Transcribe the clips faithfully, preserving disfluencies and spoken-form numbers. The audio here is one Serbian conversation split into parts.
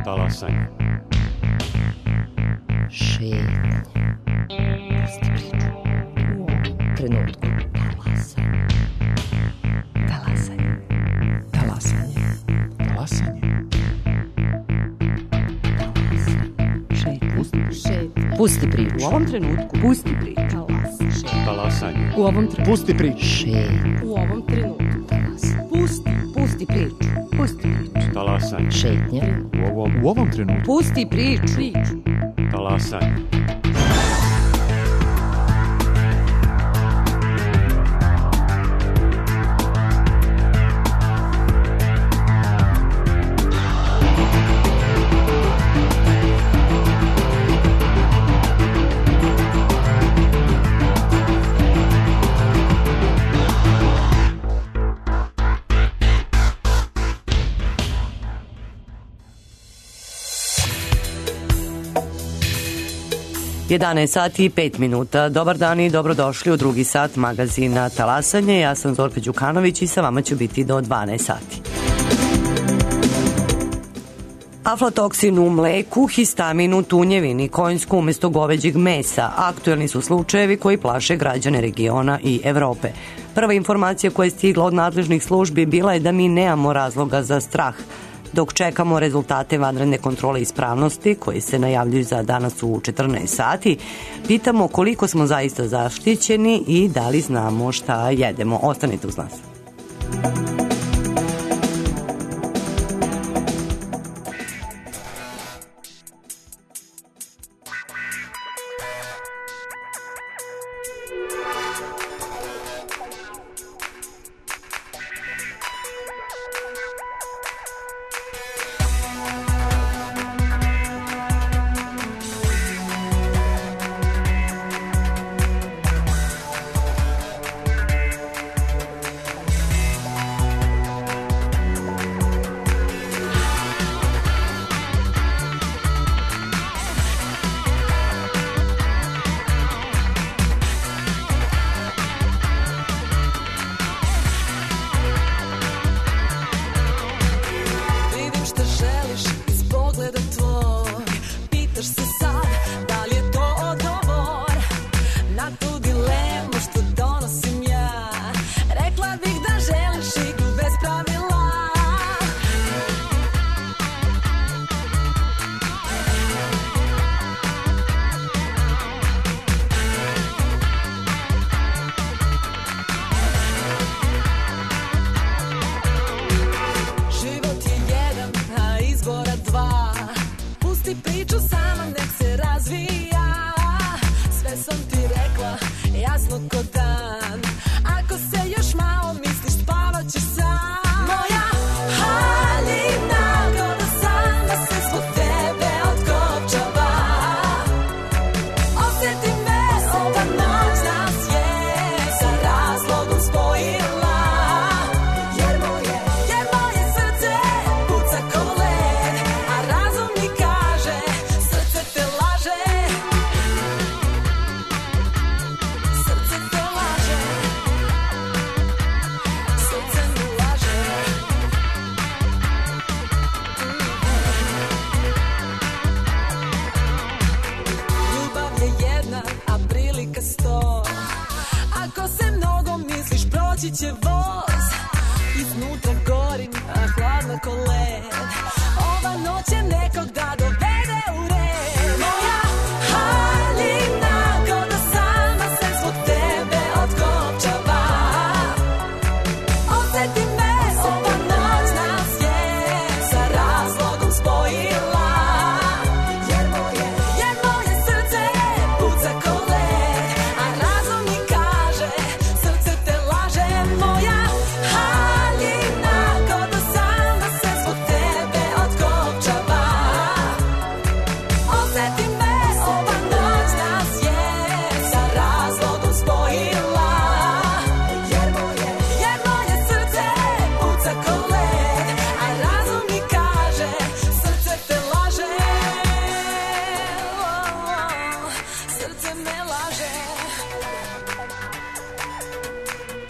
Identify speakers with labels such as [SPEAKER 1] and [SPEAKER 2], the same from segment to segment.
[SPEAKER 1] Talasanje.
[SPEAKER 2] Šetnje. Pusti priču. U ovom trenutku. Talasanje. Talasanje.
[SPEAKER 3] Talasanje.
[SPEAKER 2] Talasanje. Pusti priču.
[SPEAKER 4] U ovom trenutku. Pusti priču.
[SPEAKER 1] Talasanje.
[SPEAKER 4] U ovom trenutku.
[SPEAKER 3] Pusti priču.
[SPEAKER 2] Šetnje.
[SPEAKER 4] U ovom trenutku. Pusti. Pusti priču. Pusti priču.
[SPEAKER 1] Talasanje.
[SPEAKER 2] Šetnje.
[SPEAKER 3] U ovom, u ovom trenutku.
[SPEAKER 4] Pusti priču. Priču.
[SPEAKER 1] Talasanje.
[SPEAKER 5] jedanaest sati i pet minuta. Dobar dan i dobrodošli u drugi sat magazina Talasanje. Ja sam Zorka Đukanović i sa vama ću biti do dvanaest sati. Aflatoksin u mleku, histamin u tunjevini, konjsku umesto goveđeg mesa. Aktuelni su slučajevi koji plaše građane regiona i Evrope. Prva informacija koja je stigla od nadležnih službi bila je da mi nemamo razloga za strah. Dok čekamo rezultate vanredne kontrole ispravnosti koji se najavljuju za danas u četrnaest sati, pitamo koliko smo zaista zaštićeni i da li znamo šta jedemo. Ostanite uz nas.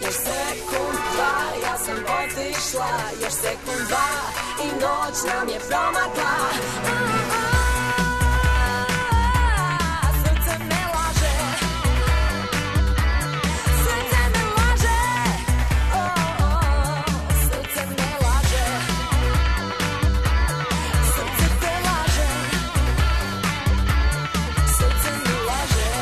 [SPEAKER 6] Još sekund, dva, ja sam otišla, još sekund, dva, i noć nam je promakla. Srce me laže, srce me laže, oh, oh, srce me laže, srce te laže, srce me laže.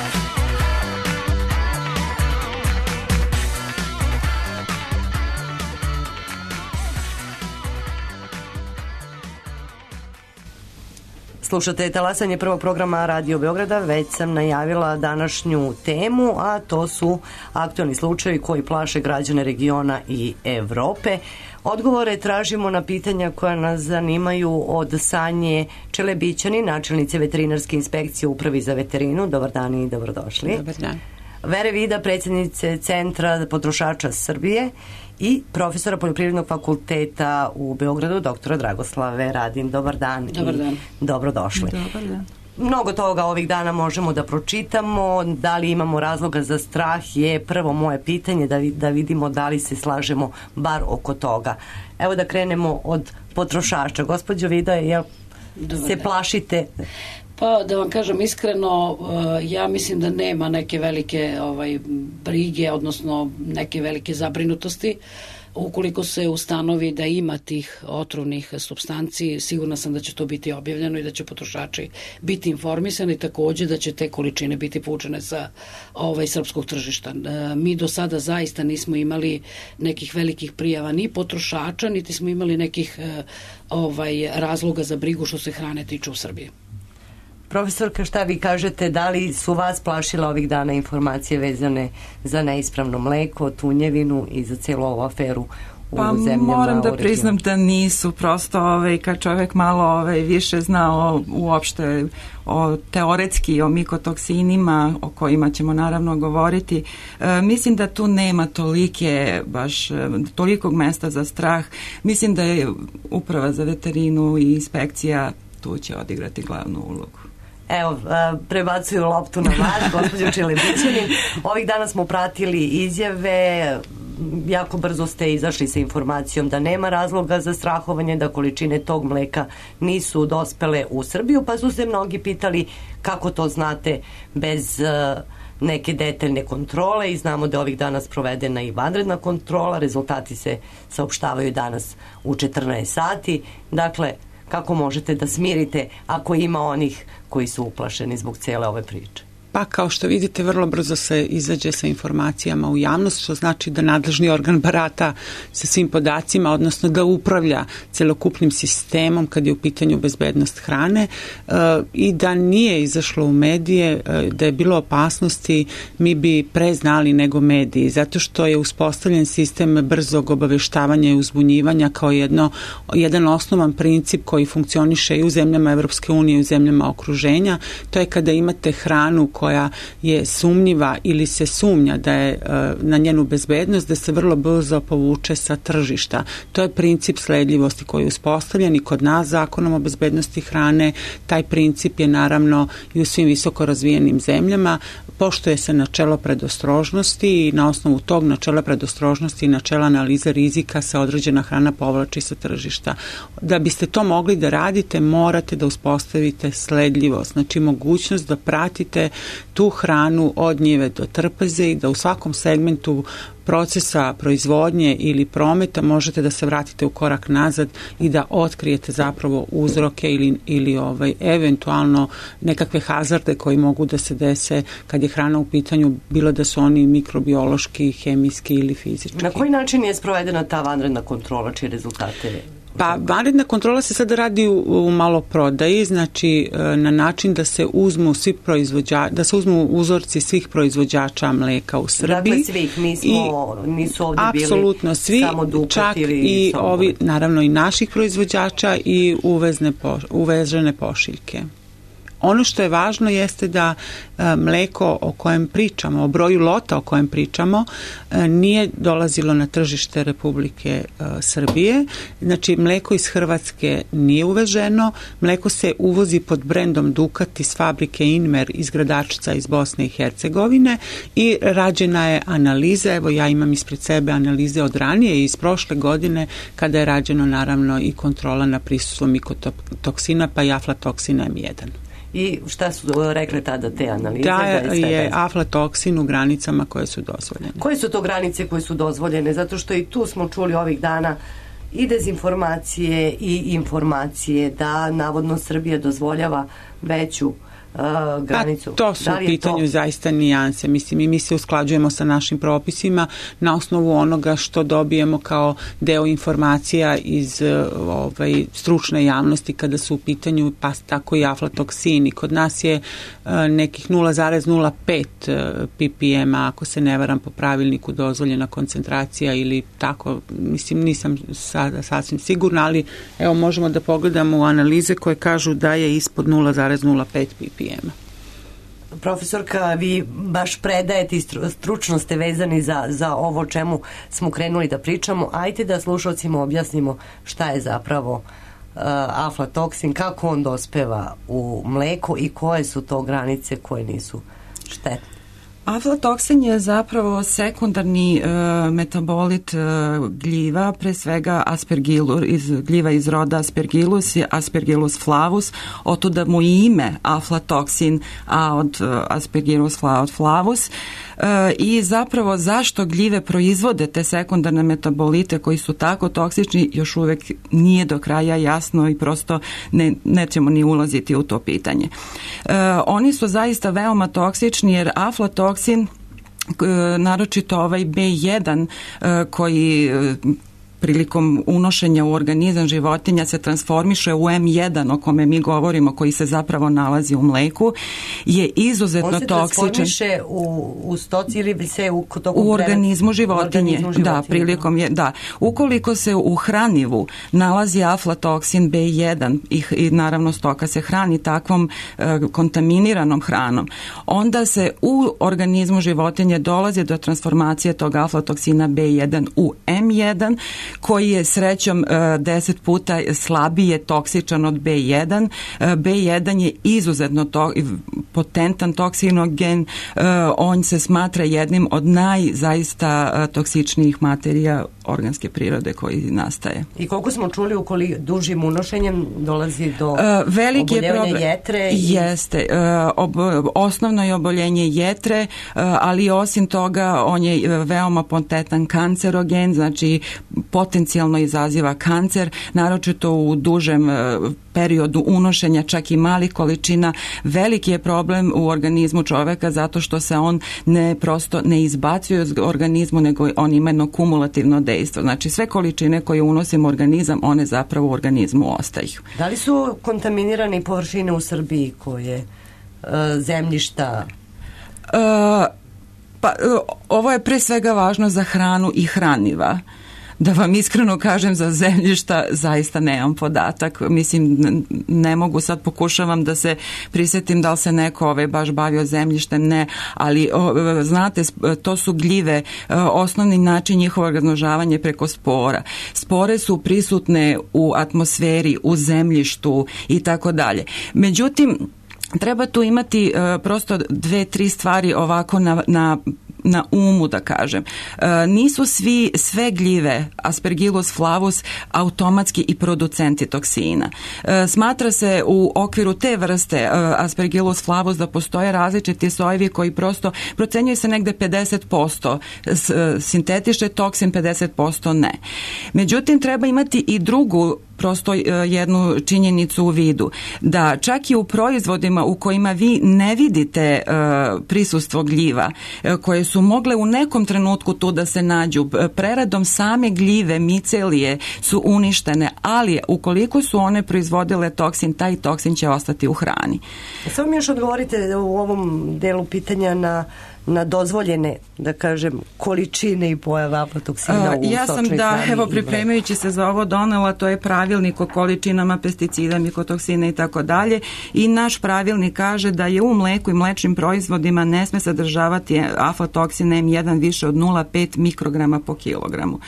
[SPEAKER 5] Slušate talasanje prvog programa Radio Beograda, već sam najavila današnju temu, a to su aktualni slučajevi koji plaše građane regiona i Evrope. Odgovore tražimo na pitanja koja nas zanimaju od Sanje Čelebićani, načelnice veterinarske inspekcije u Upravi za veterinu. Dobar dan i dobrodošli.
[SPEAKER 7] Dobar dan.
[SPEAKER 5] Vere Vida, predsjednice Centra potrošača Srbije i profesora Poljoprivrednog fakulteta u Beogradu, doktora Dragoslave Radin. Dobar dan.
[SPEAKER 7] Dobar dan.
[SPEAKER 5] I dobrodošli.
[SPEAKER 7] Dobar dan.
[SPEAKER 5] Mnogo toga ovih dana možemo da pročitamo. Da li imamo razloga za strah je prvo moje pitanje, da, da vidimo da li se slažemo bar oko toga. Evo da krenemo od potrošača. Gospođo Vida, jel
[SPEAKER 7] Dobar
[SPEAKER 5] se
[SPEAKER 7] dan.
[SPEAKER 5] plašite?
[SPEAKER 7] Pa da vam kažem iskreno, ja mislim da nema neke velike ovaj, brige, odnosno neke velike zabrinutosti. Ukoliko se ustanovi da ima tih otrovnih supstanci, sigurna sam da će to biti objavljeno i da će potrošači biti informisani, takođe da će te količine biti povučene sa ovaj, srpskog tržišta. Mi do sada zaista nismo imali nekih velikih prijava ni potrošača, niti smo imali nekih ovaj, razloga za brigu što se hrane tiče u Srbiji.
[SPEAKER 5] Profesorka, šta vi kažete, da li su vas plašile ovih dana informacije vezane za neispravno mleko, tunjevinu i za cijelu ovu aferu u
[SPEAKER 8] pa
[SPEAKER 5] zemljama?
[SPEAKER 8] Moram da priznam da nisu, prosto ovaj, kad čovjek malo ovaj, više zna o, uopšte o teoretski o mikotoksinima o kojima ćemo naravno govoriti, e, mislim da tu nema tolike baš tolikog mesta za strah. Mislim da je Uprava za veterinu i inspekcija tu će odigrati glavnu ulogu.
[SPEAKER 5] Evo, prebacuju loptu na vas, gospođo Čelebićanin. Ovih dana smo pratili izjave, jako brzo ste izašli sa informacijom da nema razloga za strahovanje, da količine tog mleka nisu dospele u Srbiju, pa su se mnogi pitali kako to znate bez neke detaljne kontrole i znamo da je ovih dana sprovedena i vanredna kontrola, rezultati se saopštavaju danas u četrnaest sati. Dakle, kako možete da smirite ako ima onih koji su uplašeni zbog cijele ove priče?
[SPEAKER 9] Pa kao što vidite, vrlo brzo se izađe sa informacijama u javnost, što znači da nadležni organ barata sa svim podacima, odnosno da upravlja celokupnim sistemom kad je u pitanju bezbednost hrane, e, i da nije izašlo u medije, e, da je bilo opasnosti, mi bi pre znali nego mediji, zato što je uspostavljen sistem brzog obaveštavanja i uzbunjivanja kao jedno, jedan osnovan princip koji funkcioniše i u zemljama Evropske unije i u zemljama okruženja. To je kada imate hranu koja je sumnjiva ili se sumnja da je na njenu bezbednost, da se vrlo brzo povuče sa tržišta. To je princip sledljivosti koji je uspostavljen i kod nas zakonom o bezbednosti hrane. Taj princip je naravno i u svim visoko razvijenim zemljama. Poštuje se načelo predostrožnosti i na osnovu tog načela predostrožnosti i načela analize rizika se određena hrana povlači sa tržišta. Da biste to mogli da radite, morate da uspostavite sledljivost, znači mogućnost da pratite tu hranu od njive do trpeze i da u svakom segmentu procesa proizvodnje ili prometa možete da se vratite u korak nazad i da otkrijete zapravo uzroke ili, ili ovaj, eventualno nekakve hazarde koji mogu da se dese kad je hrana u pitanju, bilo da su oni mikrobiološki, hemijski ili fizički.
[SPEAKER 5] Na koji način je sprovedena ta vanredna kontrola, čije rezultate?
[SPEAKER 9] Pa vanredna kontrola se sada radi u, u maloprodaji, znači na način da se uzmu svi proizvođači, da se uzmu uzorci svih proizvođača mleka u Srbiji.
[SPEAKER 5] Dakle svih, nismo, i, nisu ovdje bili
[SPEAKER 9] apsolutno svi,
[SPEAKER 5] samo Dukat
[SPEAKER 9] čak
[SPEAKER 5] ili
[SPEAKER 9] i
[SPEAKER 5] Sombor.
[SPEAKER 9] ovi, naravno i naših proizvođača i uvezne po, uvežene pošiljke. ono što je važno jeste da e, mleko o kojem pričamo, o broju lota o kojem pričamo, e, nije dolazilo na tržište Republike e, Srbije. Znači, mleko iz Hrvatske nije uveženo, mleko se uvozi pod brendom Dukat iz fabrike Inmer iz Gradačca iz Bosne i Hercegovine i rađena je analiza, evo ja imam ispred sebe analize od ranije i iz prošle godine kada je rađeno naravno i kontrola na prisustvo mikotoksina pa i aflatoksin em jedan.
[SPEAKER 5] I šta su rekle tada te analize?
[SPEAKER 9] Da je
[SPEAKER 5] bez...
[SPEAKER 9] aflatoksin u granicama koje su dozvoljene.
[SPEAKER 5] Koje su to granice koje su dozvoljene? Zato što i tu smo čuli ovih dana i dezinformacije i informacije da navodno Srbija dozvoljava veću Uh, granicu.
[SPEAKER 9] A to su
[SPEAKER 5] da
[SPEAKER 9] u pitanju to... zaista nijanse. Mislim, i mi se usklađujemo sa našim propisima na osnovu onoga što dobijemo kao deo informacija iz ovaj, stručne javnosti kada su u pitanju pa tako i aflatoksini. Kod nas je uh, nekih nula zarez nula pet ppm ako se ne varam po pravilniku dozvoljena koncentracija ili tako, mislim nisam sada sasvim sigurna, ali evo možemo da pogledamo u analize koje kažu da je ispod nula zarez nula pet ppm.
[SPEAKER 5] Profesorka, vi baš predajete i stručno ste vezani za, za ovo čemu smo krenuli da pričamo. Ajde da slušalcima objasnimo šta je zapravo uh, aflatoksin, kako on dospeva u mleko i koje su to granice koje nisu štetne.
[SPEAKER 8] Aflatoksin je zapravo sekundarni e, metabolit e, gljiva, pre svega aspergillus, iz, gljiva iz roda aspergillus i aspergillus flavus, otuda mu i ime aflatoksin, a od e, aspergillus fla, od flavus. E, I zapravo zašto gljive proizvode te sekundarne metabolite koji su tako toksični još uvek nije do kraja jasno i prosto ne, nećemo ni ulaziti u to pitanje. E, oni su zaista veoma toksični jer aflatoksin naročito ovaj be jedan koji prilikom unošenja u organizam životinja se transformiše u em jedan o kome mi govorimo, koji se zapravo nalazi u mleku, je izuzetno toksičan. On se
[SPEAKER 5] transformiše u, u stoci ili se u,
[SPEAKER 8] u organizmu životinje.
[SPEAKER 5] Organizmu životinje.
[SPEAKER 8] Da, prilikom je, da. Ukoliko se u hranivu nalazi aflatoksin be jedan i, i naravno stoka se hrani takvom e, kontaminiranom hranom, onda se u organizmu životinje dolazi do transformacije tog aflatoksina be jedan u em jedan, koji je srećom deset puta slabije toksičan od be jedan. be jedan je izuzetno to, potentan toksinogen, on se smatra jednim od najzaista toksičnijih materija organske prirode koji nastaje.
[SPEAKER 5] I koliko smo čuli, ukoliko dužim unošenjem dolazi do
[SPEAKER 8] veliki
[SPEAKER 5] oboljevanja
[SPEAKER 8] problem,
[SPEAKER 5] jetre? I...
[SPEAKER 8] Jeste. Ob, osnovno je oboljenje jetre, ali osim toga on je veoma potentan kancerogen, znači potencijalno izaziva kancer, naročito u dužem periodu unošenja čak i malih količina. Veliki je problem u organizmu čoveka zato što se on ne prosto ne izbacuje iz organizmu, nego on ima jedno kumulativno dejstvo. Znači sve količine koje unosimo u organizam, one zapravo u organizmu ostaju.
[SPEAKER 5] Da li su kontaminirane površine u Srbiji koje e, zemljišta?
[SPEAKER 8] E, pa ovo je pre svega važno za hranu i hraniva. Da vam iskreno kažem, za zemljišta zaista nemam podatak. Mislim, ne mogu, sad pokušavam da se prisjetim da li se neko ovaj, baš bavio zemljištem, ne, ali o, znate, to su gljive, osnovni način njihovog razmnožavanja preko spora. Spore su prisutne u atmosferi, u zemljištu i tako dalje. Međutim, treba tu imati uh, prosto dve, tri stvari ovako na, na na umu, da kažem. E, nisu svi, sve gljive Aspergillus flavus automatski i producenti toksina. E, smatra se u okviru te vrste e, Aspergillus flavus da postoje različiti sojevi koji prosto procenjuje se negde pedeset posto s, sintetiše toksin, pedeset posto ne. Međutim, treba imati i drugu prosto jednu činjenicu u vidu, da čak i u proizvodima u kojima vi ne vidite uh, prisustvo gljiva, uh, koje su mogle u nekom trenutku tu da se nađu, preradom same gljive, micelije su uništene, ali ukoliko su one proizvodile toksin, taj toksin će ostati u hrani.
[SPEAKER 5] Samo mi još odgovorite u ovom delu pitanja na na dozvoljene, da kažem, količine i pojave aflatoksina u
[SPEAKER 8] ja sam
[SPEAKER 5] sočnoj
[SPEAKER 8] da,
[SPEAKER 5] hrani
[SPEAKER 8] evo,
[SPEAKER 5] i
[SPEAKER 8] pripremajući se za ovo donela, to je pravilnik o količinama pesticida, mikotoksina i tako dalje, i naš pravilnik kaže da je u mleku i mlečnim proizvodima ne sme sadržavati aflatoksin em jedan više od nula zarez pet mikrograma po kilogramu.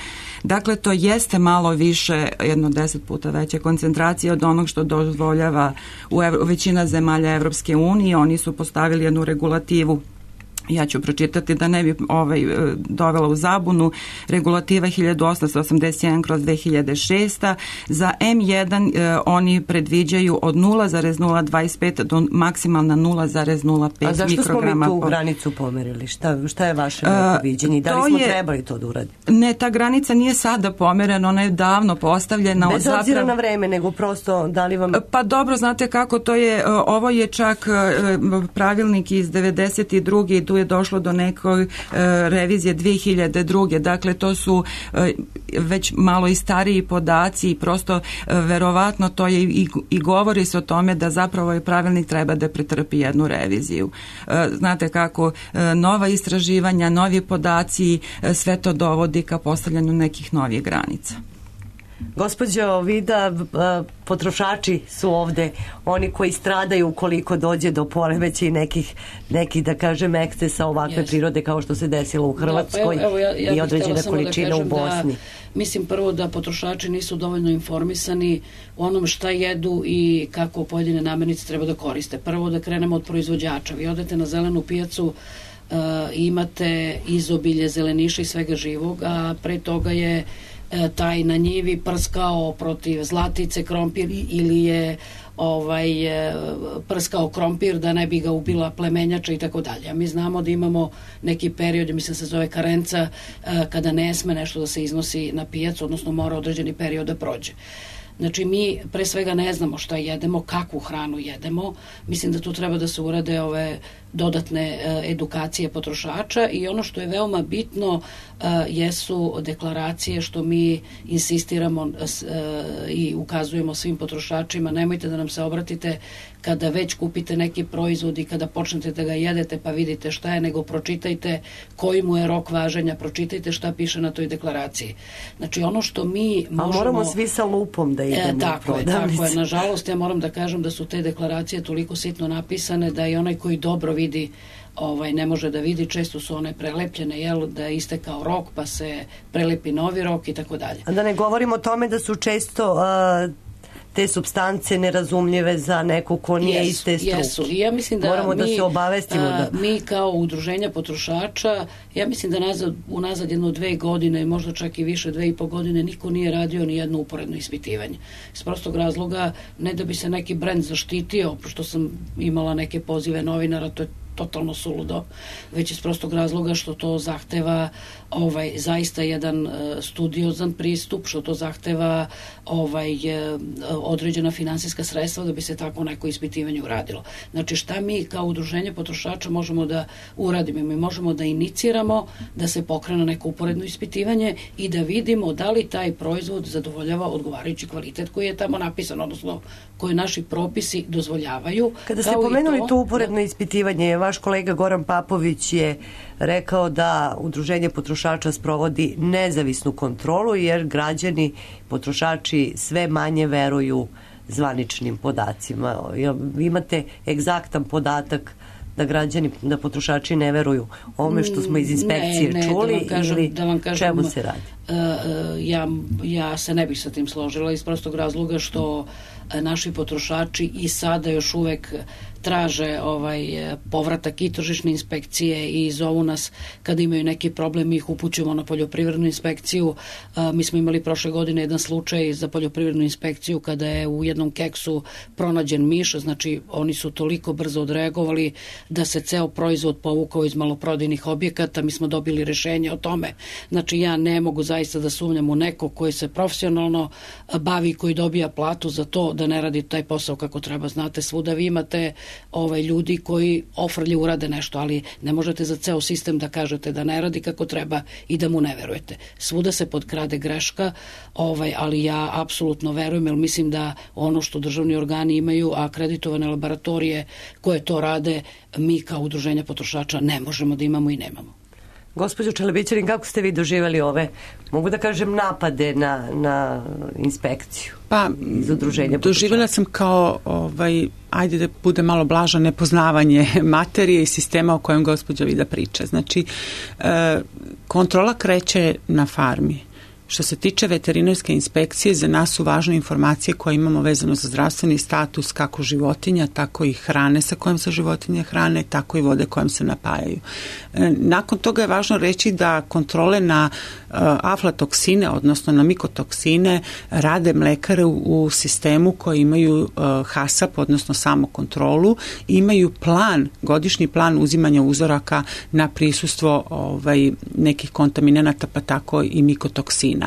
[SPEAKER 8] Dakle, to jeste malo više, jedno deset puta veće koncentracije od onog što dozvoljava u ev- većina zemalja Evropske unije. Oni su postavili jednu regulativu, ja ću pročitati da ne bi ovaj, dovela u zabunu, regulativa hiljadu osamsto osamdeset jedan kroz dve hiljade šest. Za em jedan eh, oni predviđaju od nula zarez nula dvadeset pet do maksimalna nula zarez nula pet mikrograma.
[SPEAKER 5] A zašto smo mi tu
[SPEAKER 8] po...
[SPEAKER 5] granicu pomerili? Šta, šta je vaše uh, viđenje? Da li smo je, trebali to da uradimo?
[SPEAKER 8] Ne, ta granica nije sada pomerena, ona je davno postavljena.
[SPEAKER 5] Bez obzira
[SPEAKER 8] zapravo,
[SPEAKER 5] na vreme, nego prosto da li vam...
[SPEAKER 8] Pa dobro, znate kako to je, ovo je čak pravilnik iz devedeset druge i tu je došlo do nekoj revizije dve hiljade druge. Dakle, to su već malo i stariji podaci i prosto verovatno to je i, i govori se o tome da zapravo ovaj pravilnik treba da pretrpi jednu reviziju. Znate kako, nova istraživanja, novi podaci, sve to dovodi ka postavljanju nekih novih granica.
[SPEAKER 5] Gospođo Vida, potrošači su ovde oni koji stradaju ukoliko dođe do poremeća i nekih, nekih, da kažem, ekscesa ovakve yes. prirode kao što se desilo u Hrvatskoj
[SPEAKER 7] da, pa evo, evo, ja, ja
[SPEAKER 5] i određena količina
[SPEAKER 7] da
[SPEAKER 5] u Bosni.
[SPEAKER 7] Da, mislim prvo da potrošači nisu dovoljno informisani o onom šta jedu i kako pojedine namirnice treba da koriste. Prvo da krenemo od proizvođača. Vi odete na zelenu pijacu, uh, imate izobilje zeleniša i svega živog, a pre toga je taj na njivi prskao protiv zlatice krompir ili je ovaj prskao krompir da ne bi ga ubila plemenjača i tako dalje. Mi znamo da imamo neki period, mislim se zove karenca, kada ne sme nešto da se iznosi na pijacu, odnosno mora određeni period da prođe. Znači, mi pre svega ne znamo šta jedemo, kakvu hranu jedemo. Mislim da tu treba da se urade ove dodatne e, edukacije potrošača i ono što je veoma bitno e, jesu deklaracije što mi insistiramo e, i ukazujemo svim potrošačima. Nemojte da nam se obratite kada već kupite neki proizvod i kada počnete da ga jedete pa vidite šta je, nego pročitajte koji mu je rok važenja, pročitajte šta piše na toj deklaraciji. Znači, ono što mi možemo... A moramo svi sa lupom da idemo
[SPEAKER 5] e,
[SPEAKER 7] tako
[SPEAKER 5] u
[SPEAKER 7] je, tako je. Nažalost, ja moram da kažem da su te deklaracije toliko sitno napisane da i onaj koji dobro vidi ovaj, ne može da vidi, često su one prelepljene, jel, da je istekao rok pa se prelepi novi rok i tako dalje.
[SPEAKER 5] A da ne govorimo o tome da su često... Uh... te supstance nerazumljive za neko ko nije iz te struke.
[SPEAKER 7] Jesu. I ja mislim da
[SPEAKER 5] moramo
[SPEAKER 7] mi,
[SPEAKER 5] da se obavestimo. Da...
[SPEAKER 7] Mi kao udruženja potrošača, ja mislim da nazad, unazad jedno dve godine, možda čak i više, dve i po godine, niko nije radio ni jedno uporedno ispitivanje. Iz prostog razloga, ne da bi se neki brend zaštitio, pošto sam imala neke pozive novinara, to je totalno suludo, već iz prostog razloga što to zahteva ovaj, zaista jedan uh, studiozan pristup, što to zahteva ovaj, uh, određena finansijska sredstva da bi se tako neko ispitivanje uradilo. Znači, šta mi kao udruženje potrošača možemo da uradimo? Mi možemo da iniciramo da se pokrene neko uporedno ispitivanje i da vidimo da li taj proizvod zadovoljava odgovarajući kvalitet koji je tamo napisan, odnosno koje naši propisi dozvoljavaju.
[SPEAKER 5] Kada ste pomenuli to, to uporedno da... ispitivanje, vaš kolega Goran Papović je rekao da udruženje potrošača sprovodi nezavisnu kontrolu jer građani, potrošači sve manje veruju zvaničnim podacima. Vi imate egzaktan podatak da građani, da potrošači ne veruju ome što smo iz inspekcije
[SPEAKER 7] ne, ne,
[SPEAKER 5] čuli,
[SPEAKER 7] da vam kažem,
[SPEAKER 5] ili
[SPEAKER 7] da vam kažem,
[SPEAKER 5] čemu se radi?
[SPEAKER 7] Uh, ja, ja se ne bih sa tim složila iz prostog razloga što naši potrošači i sada još uvek traže ovaj povratak i tržišne inspekcije i zovu nas kada imaju neki problem, mi ih upućujemo na poljoprivrednu inspekciju. A, mi smo imali prošle godine jedan slučaj za poljoprivrednu inspekciju kada je u jednom keksu pronađen miš, znači oni su toliko brzo odreagovali da se ceo proizvod povukao iz maloprodajnih objekata, mi smo dobili rešenje o tome. Znači, ja ne mogu zaista da sumnjam u neko koji se profesionalno bavi, koji dobija platu za to da ne radi taj posao kako treba. Znate, svuda vi imate ovaj, ljudi koji ofrlje urade nešto, ali ne možete za ceo sistem da kažete da ne radi kako treba i da mu ne verujete. Svuda se potkrade greška, ovaj, ali ja apsolutno verujem, jer mislim da ono što državni organi imaju, a akreditovane laboratorije koje to rade, mi kao udruženja potrošača ne možemo da imamo i nemamo.
[SPEAKER 5] Gospođo Čelebićanin, kako ste vi doživjeli ove, mogu da kažem, napade na, na inspekciju
[SPEAKER 9] pa,
[SPEAKER 5] iz udruženja potrošača?
[SPEAKER 9] Doživjela sam kao, ovaj, ajde da bude malo blaža, nepoznavanje materije i sistema o kojem gospođa Vida priča. Znači, e, kontrola kreće na farmi. Što se tiče veterinarske inspekcije, za nas su važne informacije koje imamo vezano za zdravstveni status kako životinja, tako i hrane sa kojom se životinje hrane, tako i vode kojom se napajaju. Nakon toga je važno reći da kontrole na aflatoksine, odnosno na mikotoksine, rade mlekare u sistemu koji imaju HASAP, odnosno samokontrolu, imaju plan, godišnji plan uzimanja uzoraka na prisustvo ovaj, nekih kontaminanata, pa tako i mikotoksina.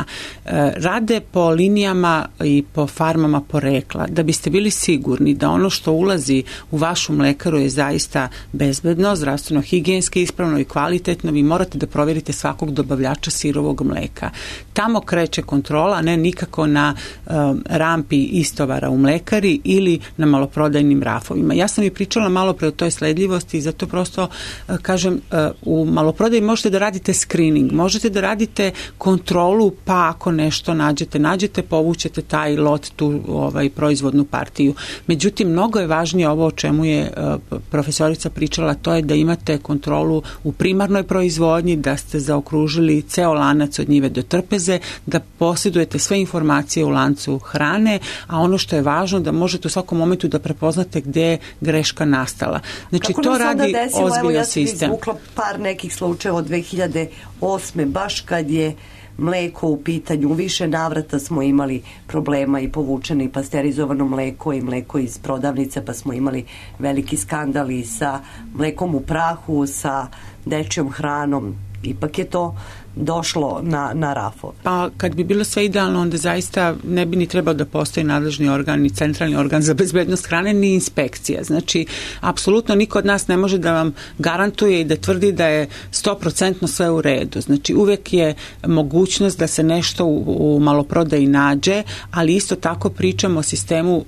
[SPEAKER 9] Rade po linijama i po farmama porekla, da biste bili sigurni da ono što ulazi u vašu mlekaru je zaista bezbedno, zdravstveno, higijenski ispravno i kvalitetno. Vi morate da provjerite svakog dobavljača sirovog mleka. Tamo kreće kontrola, ne nikako na um, rampi istovara u mlekari ili na maloprodajnim rafovima. Ja sam i pričala malo pre o toj sledljivosti i zato prosto uh, kažem, uh, u maloprodaji možete da radite screening, možete da radite kontrolu, pa ako nešto nađete, nađete, povučete taj lot, tu ovaj, proizvodnu partiju. Međutim, mnogo je važnije ovo o čemu je uh, profesorica pričala, to je da imate kontrolu u primarnoj proizvodnji, da ste zaokružili ceo lanac od njive do trpeze, da posjedujete sve informacije u lancu hrane, a ono što je važno da možete u svakom momentu da prepoznate gde je greška nastala. Znači,
[SPEAKER 5] kako
[SPEAKER 9] to radi
[SPEAKER 5] desilo,
[SPEAKER 9] ozbiljno
[SPEAKER 5] evo, ja
[SPEAKER 9] sistem.
[SPEAKER 5] sam izvukla par nekih slučajeva od dve hiljade osme. baš kad je mleko u pitanju. U više navrata smo imali problema i povučeno i pasterizovano mleko i mleko iz prodavnice, pa smo imali veliki skandal i sa mlekom u prahu, sa dečjom hranom. Ipak je to došlo na, na rafove.
[SPEAKER 9] Pa kad bi bilo sve idealno, onda zaista ne bi ni trebao da postoji nadležni organ, ni centralni organ za bezbednost hrane, ni inspekcija. Znači, apsolutno niko od nas ne može da vam garantuje i da tvrdi da je sto procentno sve u redu. Znači, uvek je mogućnost da se nešto u, u maloprodaji nađe, ali isto tako pričamo o sistemu uh,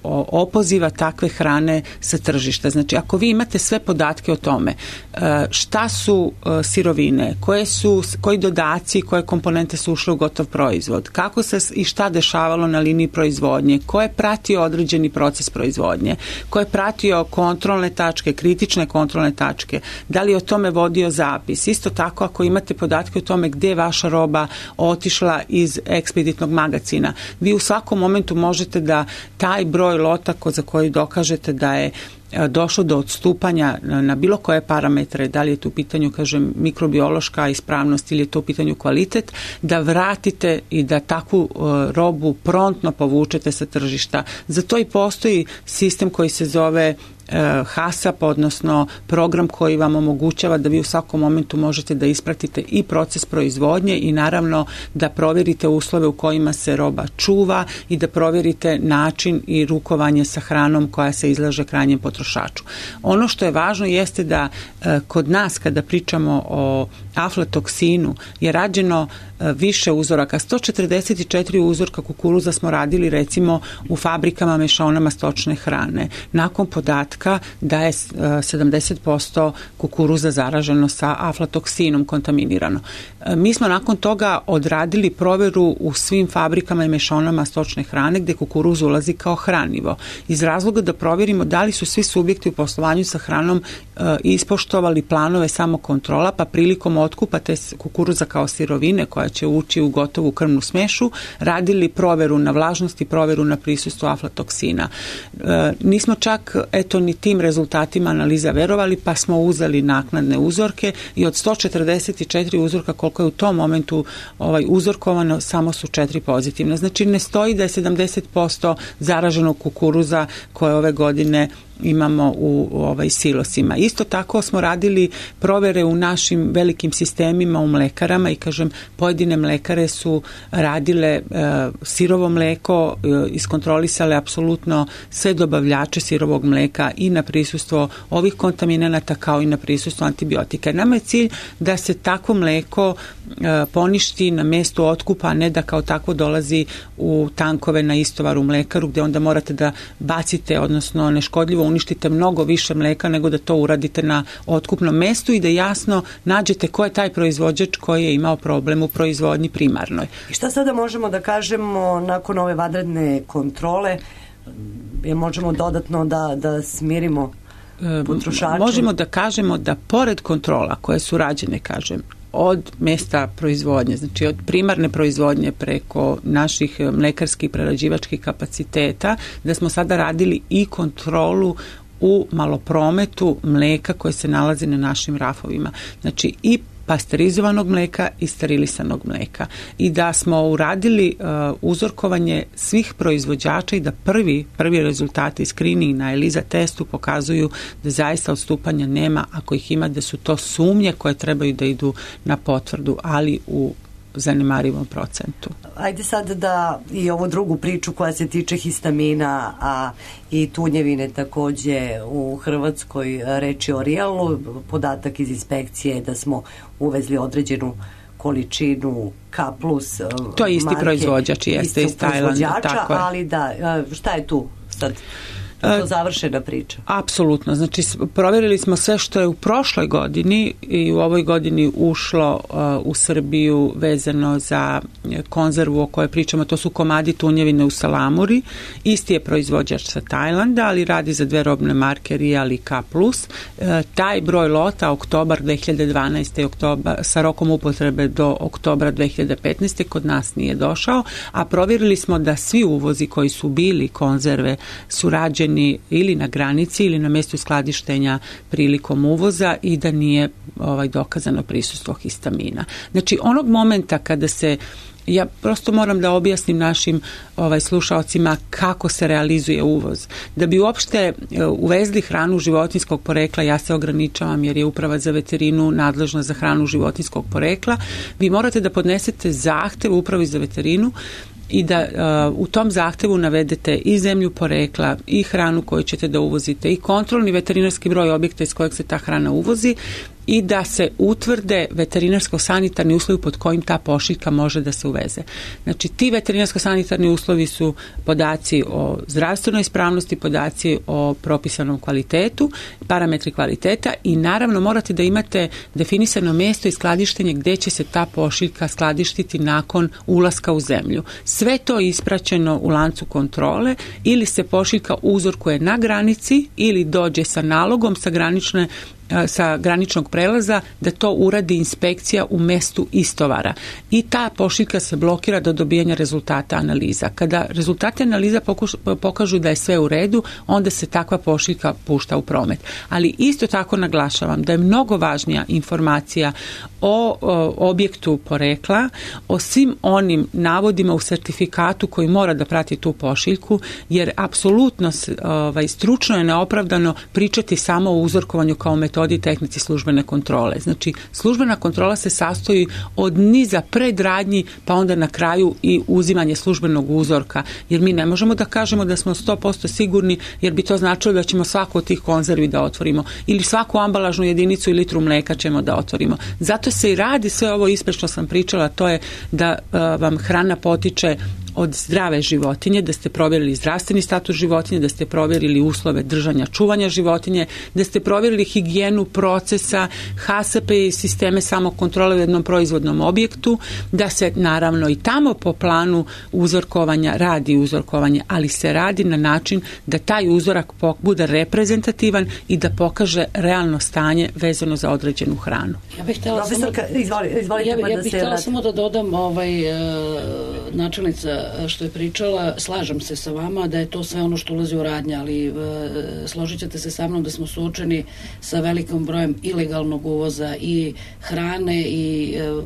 [SPEAKER 9] o opoziva takve hrane sa tržišta. Znači, ako vi imate sve podatke o tome uh, šta su uh, sirovine, koje su koji dodaci, koje komponente su ušle u gotov proizvod, kako se i šta dešavalo na liniji proizvodnje, ko je pratio određeni proces proizvodnje, ko je pratio kontrolne tačke, kritične kontrolne tačke, da li je o tome vodio zapis. Isto tako, ako imate podatke o tome gde je vaša roba otišla iz ekspeditnog magacina, vi u svakom momentu možete da taj broj lota za koji dokažete da je došlo do odstupanja na bilo koje parametre, da li je tu u pitanju, kažem, mikrobiološka ispravnost ili je to u pitanju kvalitet, da vratite i da takvu uh, robu prontno povučete sa tržišta. Za to i postoji sistem koji se zove HASAP, odnosno program koji vam omogućava da vi u svakom momentu možete da ispratite i proces proizvodnje i naravno da provjerite uslove u kojima se roba čuva i da provjerite način i rukovanje sa hranom koja se izlaže krajnjem potrošaču. Ono što je važno jeste da kod nas kada pričamo o aflatoksinu je rađeno više uzoraka. sto četrdeset četiri uzorka kukuruza smo radili recimo u fabrikama mešaonama stočne hrane. Nakon podatka da je sedamdeset posto kukuruza zaraženo sa aflatoksinom, kontaminirano. Mi smo nakon toga odradili proveru u svim fabrikama i mešaonama stočne hrane gde kukuruz ulazi kao hranivo. Iz razloga da provjerimo da li su svi subjekti u poslovanju sa hranom ispoštovali planove samokontrola, pa prilikom otkupa te kukuruza kao sirovine koja će ući u gotovu krvnu smešu, radili proveru na vlažnost i proveru na prisustvo aflatoksina. E, nismo čak, eto, ni tim rezultatima analiza verovali, pa smo uzeli naknadne uzorke i od sto četrdeset četiri uzorka koliko je u tom momentu ovaj, uzorkovano, samo su četiri pozitivne. Znači, ne stoji da je sedamdeset posto zaraženog kukuruza koje ove godine imamo u, u ovaj silosima. Isto tako smo radili provere u našim velikim sistemima u mlekarama i kažem, pojedine mlekare su radile e, sirovo mleko, e, iskontrolisale apsolutno sve dobavljače sirovog mleka i na prisustvo ovih kontaminanata kao i na prisustvo antibiotika. Nama je cilj da se takvo mleko e, poništi na mestu otkupa, a ne da kao takvo dolazi u tankove na istovar u mlekaru gde onda morate da bacite, odnosno neškodljivo uništite mnogo više mleka nego da to uradite na otkupnom mestu i da jasno nađete ko je taj proizvođač koji je imao problem u proizvodnji primarnoj.
[SPEAKER 5] I šta sada možemo da kažemo nakon ove vanredne kontrole? Je možemo dodatno da, da smirimo potrošače?
[SPEAKER 9] Možemo da kažemo da pored kontrola koje su rađene, kažem, od mesta proizvodnje, znači od primarne proizvodnje preko naših mlekarskih prerađivačkih kapaciteta, da smo sada radili i kontrolu u maloprometu mleka koje se nalazi na našim rafovima. Znači i pasterizovanog mleka i sterilisanog mleka. I da smo uradili uh, uzorkovanje svih proizvođača i da prvi, prvi rezultati screening na ELISA testu pokazuju da zaista odstupanja nema, ako ih ima da su to sumnje koje trebaju da idu na potvrdu, ali u zanemarivom procentu.
[SPEAKER 5] Ajde sad da i ovu drugu priču koja se tiče histamina, a i tunjevine takođe u Hrvatskoj, reči o Rijalu, podatak iz inspekcije je da smo uvezli određenu količinu K plus
[SPEAKER 9] to je isti marke, proizvođač, jeste iz Tajlanda, tako je.
[SPEAKER 5] Ali da, šta je tu sad? To završena priča.
[SPEAKER 9] Apsolutno. Znači, provjerili smo sve što je u prošloj godini i u ovoj godini ušlo uh, u Srbiju vezano za konzervu o kojoj pričamo. To su komadi tunjevine u salamuri. Isti je proizvođač sa Tajlanda, ali radi za dve robne marke Rijal i K plus. Uh, taj broj lota, oktobar dve hiljade dvanaeste. Oktobar, sa rokom upotrebe do oktobra dve hiljade petnaeste. kod nas nije došao, a provjerili smo da svi uvozi koji su bili konzerve su rađeni ili na granici ili na mjestu skladištenja prilikom uvoza i da nije ovaj dokazano prisustvo histamina. Znači onog momenta kada se, ja prosto moram da objasnim našim ovaj slušaocima kako se realizuje uvoz. Da bi uopšte uvezli hranu životinjskog porekla, ja se ograničavam jer je Uprava za veterinu nadležna za hranu životinjskog porekla, vi morate da podnesete zahtev Upravi za veterinu i da uh, u tom zahtevu navedete i zemlju porekla i hranu koju ćete da uvozite i kontrolni veterinarski broj objekta iz kojeg se ta hrana uvozi i da se utvrde veterinarsko-sanitarni uslovi pod kojim ta pošiljka može da se uveze. Znači ti veterinarsko-sanitarni uslovi su podaci o zdravstvenoj ispravnosti, podaci o propisanom kvalitetu, parametri kvaliteta i naravno morate da imate definisano mjesto i skladištenje gdje će se ta pošiljka skladištiti nakon ulaska u zemlju. Sve to je ispraćeno u lancu kontrole ili se pošiljka uzorkuje na granici ili dođe sa nalogom sa granične sa graničnog prelaza da to uradi inspekcija u mestu istovara. I ta pošiljka se blokira do dobijanja rezultata analiza. Kada rezultati analiza pokuš, pokažu da je sve u redu, onda se takva pošiljka pušta u promet. Ali isto tako naglašavam da je mnogo važnija informacija o, o objektu porekla, o svim onim navodima u sertifikatu koji mora da prati tu pošiljku, jer apsolutno ovaj, stručno je neopravdano pričati samo o uzorkovanju kao metodi i tehnici službene kontrole. Znači, službena kontrola se sastoji od niza predradnji, pa onda na kraju i uzimanje službenog uzorka, jer mi ne možemo da kažemo da smo sto posto sigurni, jer bi to značilo da ćemo svaku od tih konzervi da otvorimo, ili svaku ambalažnu jedinicu i litru mleka ćemo da otvorimo. Zato se i radi sve ovo ispred što sam pričala, to je da uh, vam hrana potiče od zdrave životinje, da ste provjerili zdravstveni status životinje, da ste provjerili uslove držanja, čuvanja životinje, da ste provjerili higijenu procesa, H S P i sisteme samokontrole u jednom proizvodnom objektu, da se naravno i tamo po planu uzorkovanja radi uzorkovanje, ali se radi na način da taj uzorak bude reprezentativan i da pokaže realno stanje vezano za određenu hranu.
[SPEAKER 7] Ja bih htjela samo,
[SPEAKER 5] izvoli, izvolite,
[SPEAKER 7] ja,
[SPEAKER 5] pa
[SPEAKER 7] ja
[SPEAKER 5] da
[SPEAKER 7] bih
[SPEAKER 5] se
[SPEAKER 7] htjela
[SPEAKER 5] vrati.
[SPEAKER 7] samo da dodam ovaj, uh, načelnica što je pričala, slažem se sa vama da je to sve ono što ulazi u radnje, ali e, složit ćete se sa mnom da smo suočeni sa velikom brojem ilegalnog uvoza i hrane i e,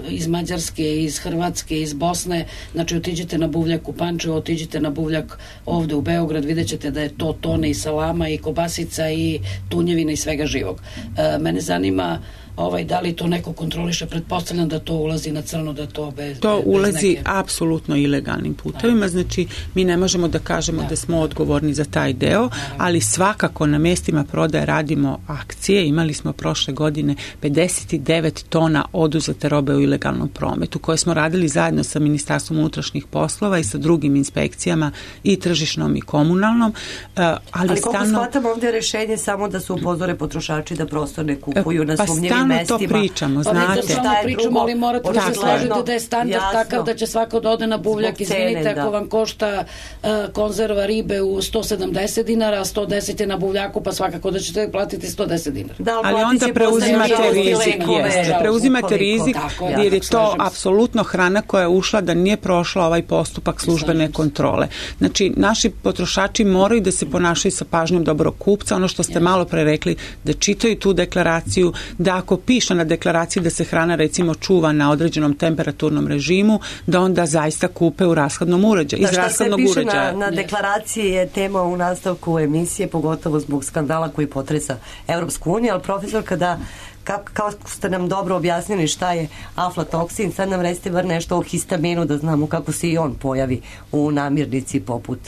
[SPEAKER 7] iz Mađarske, iz Hrvatske, iz Bosne. Znači, otiđite na buvljak u Pančevo, otiđite na buvljak ovde u Beograd, vidjet ćete da je to tone i salama i kobasica i tunjevina i svega živog. E, mene zanima ovaj, da li to neko kontroliše, pretpostavljam da to ulazi na crno, da to bez
[SPEAKER 9] To
[SPEAKER 7] bez
[SPEAKER 9] ulazi
[SPEAKER 7] neke...
[SPEAKER 9] apsolutno ilegalnim putevima, znači mi ne možemo da kažemo da, da smo odgovorni za taj deo, ali svakako na mestima prodaje radimo akcije. Imali smo prošle godine pedeset devet tona oduzete robe u ilegalnom prometu, koje smo radili zajedno sa Ministarstvom unutrašnjih poslova i sa drugim inspekcijama i tržišnom i komunalnom. Ali,
[SPEAKER 5] ali koliko
[SPEAKER 9] stalno...
[SPEAKER 5] shvatam, ovdje je rešenje samo da se upozore potrošači da prosto ne kupuju na sumnjivim mestima.
[SPEAKER 9] To pričamo,
[SPEAKER 7] pa
[SPEAKER 9] znate.
[SPEAKER 7] Pa samo pričamo, ali morate da se složite da je standard
[SPEAKER 5] jasno.
[SPEAKER 7] Takav da će svako da ode na buvljak. Izvinite, ako vam košta uh, konzerva ribe u sto sedamdeset dinara, a sto deset je na buvljaku, pa svakako da ćete platiti sto deset dinara.
[SPEAKER 5] Da,
[SPEAKER 9] ali onda preuzimate rizik, jeste. Preuzimate rizik jer je to apsolutno hrana koja je ušla da nije prošla ovaj postupak službene kontrole. Znači, naši potrošači moraju da se ponašaju sa pažnjom dobrog kupca, ono što ste malo pre rekli, da čitaju tu deklaraciju, da ako piše na deklaraciji da se hrana recimo čuva na određenom temperaturnom režimu, da onda zaista kupe u rashladnom uređaju, iz rashladnog uređaja.
[SPEAKER 5] Šta se piše na, na deklaraciji je tema u nastavku emisije, pogotovo zbog skandala koji potresa Evropsku uniju, ali profesor, kada Kao, kao ste nam dobro objasnili šta je aflatoksin, sad nam recite bar nešto o histaminu da znamo kako se i on pojavi u namirnici poput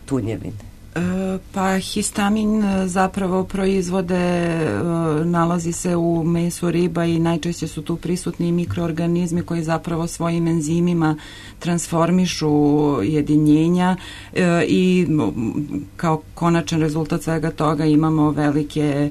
[SPEAKER 5] tunjevine.
[SPEAKER 8] Pa histamin zapravo proizvode, nalazi se u mesu riba i najčešće su tu prisutni mikroorganizmi koji zapravo svojim enzimima transformišu jedinjenja i kao konačan rezultat svega toga imamo velike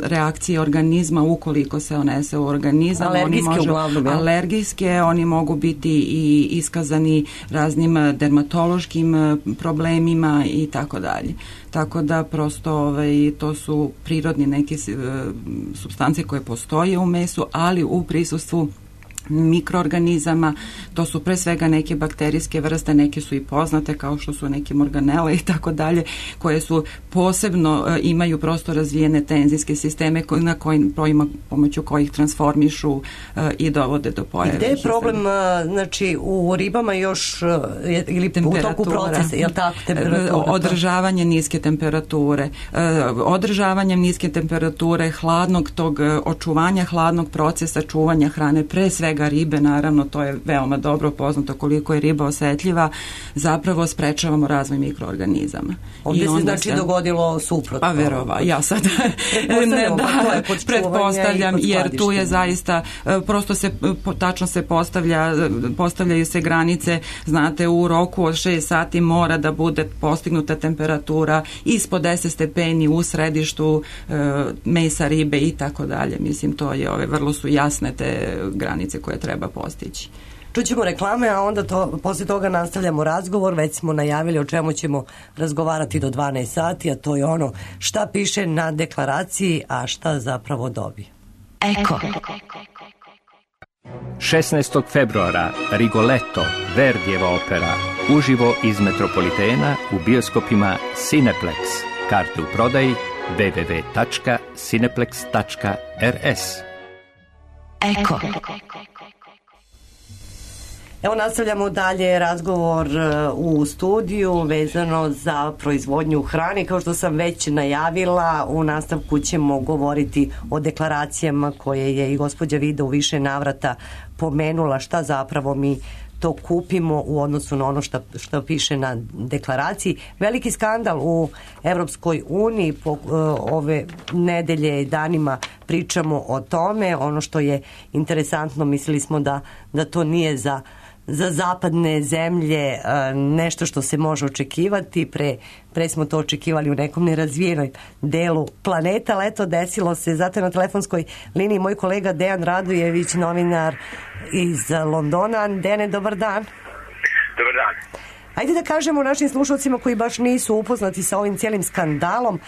[SPEAKER 8] reakcije organizma ukoliko se unese u organizam.
[SPEAKER 5] Alergijske
[SPEAKER 8] oni može,
[SPEAKER 5] uglavnom, ja?
[SPEAKER 8] Alergijske, oni mogu biti i iskazani raznim dermatološkim problemima i tako dalje. Tako da prosto ovaj, to su prirodni neke uh, supstance koje postoje u mesu, ali u prisustvu mikroorganizama, to su pre svega neke bakterijske vrste, neke su i poznate kao što su neke morganele i tako dalje, koje su posebno uh, imaju prosto razvijene tenzijske sisteme ko, na kojim projima, pomoću kojih transformišu uh, i dovode do pojave.
[SPEAKER 5] I gde je problem, uh, znači u ribama još uh, ili u toku procesa, je li tako, temperatura?
[SPEAKER 8] Održavanje niske temperature. Uh, održavanjem niske temperature, hladnog tog uh, očuvanja hladnog procesa čuvanja hrane, pre svega ribe, naravno, to je veoma dobro poznato koliko je riba osetljiva, zapravo sprečavamo razvoj mikroorganizama.
[SPEAKER 5] Ovdje se znači se dogodilo suprotno.
[SPEAKER 8] A verova, ja sad ne, da, pretpostavljam, jer tu je zaista, prosto se, tačno se postavlja, postavljaju se granice, znate, u roku od šest sati mora da bude postignuta temperatura ispod deset stepeni u središtu mesa, ribe i tako dalje. Mislim, to je, ove, vrlo su jasne te granice koje treba postići.
[SPEAKER 5] Čućemo reklame, a onda to, posle toga nastavljamo razgovor. Već smo najavili o čemu ćemo razgovarati do dvanaest sati, a to je ono šta piše na deklaraciji, a šta zapravo dobije.
[SPEAKER 2] Eko.
[SPEAKER 10] šesnaestog februara Rigoletto, Verdijeva opera, uživo iz Metropolitena u bioskopima Cineplex. Karte u prodaji w w w tačka cineplex tačka r s.
[SPEAKER 2] Eko.
[SPEAKER 5] Evo nastavljamo dalje razgovor u studiju vezano za proizvodnju hrane. Kao što sam već najavila, u nastavku ćemo govoriti o deklaracijama koje je i gospođa Vida u više navrata pomenula, šta zapravo mi to kupimo u odnosu na ono što, što piše na deklaraciji. Veliki skandal u Evropskoj uniji, po, uh, ove nedelje i danima pričamo o tome. Ono što je interesantno, mislili smo da, da to nije za za zapadne zemlje nešto što se može očekivati. Pre, pre smo to očekivali u nekom nerazvijenom delu planeta, ali eto desilo se. Zato je na telefonskoj liniji moj kolega Dejan Radojević, novinar iz Londona. Dene, dobar dan.
[SPEAKER 11] Dobar dan.
[SPEAKER 5] Ajde da kažemo našim slušalcima koji baš nisu upoznati sa ovim cijelim skandalom,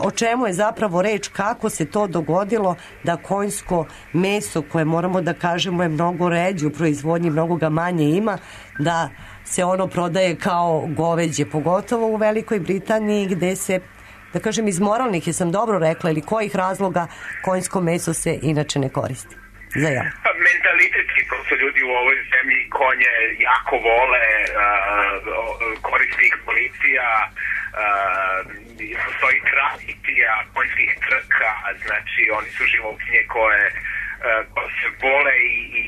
[SPEAKER 5] o čemu je zapravo reč, kako se to dogodilo da konjsko meso, koje moramo da kažemo je mnogo ređe u proizvodnji, mnogo ga manje ima, da se ono prodaje kao goveđe, pogotovo u Velikoj Britaniji gde se, da kažem, iz moralnih, jesam dobro rekla, ili kojih razloga konjsko meso se inače ne koristi za jelo?
[SPEAKER 11] Mentalitetski, prosto ljudi u ovoj zemlji konje jako vole, koristi ih policija, postoji tradicija konjskih trka, znači oni su životinje koje se vole i, i,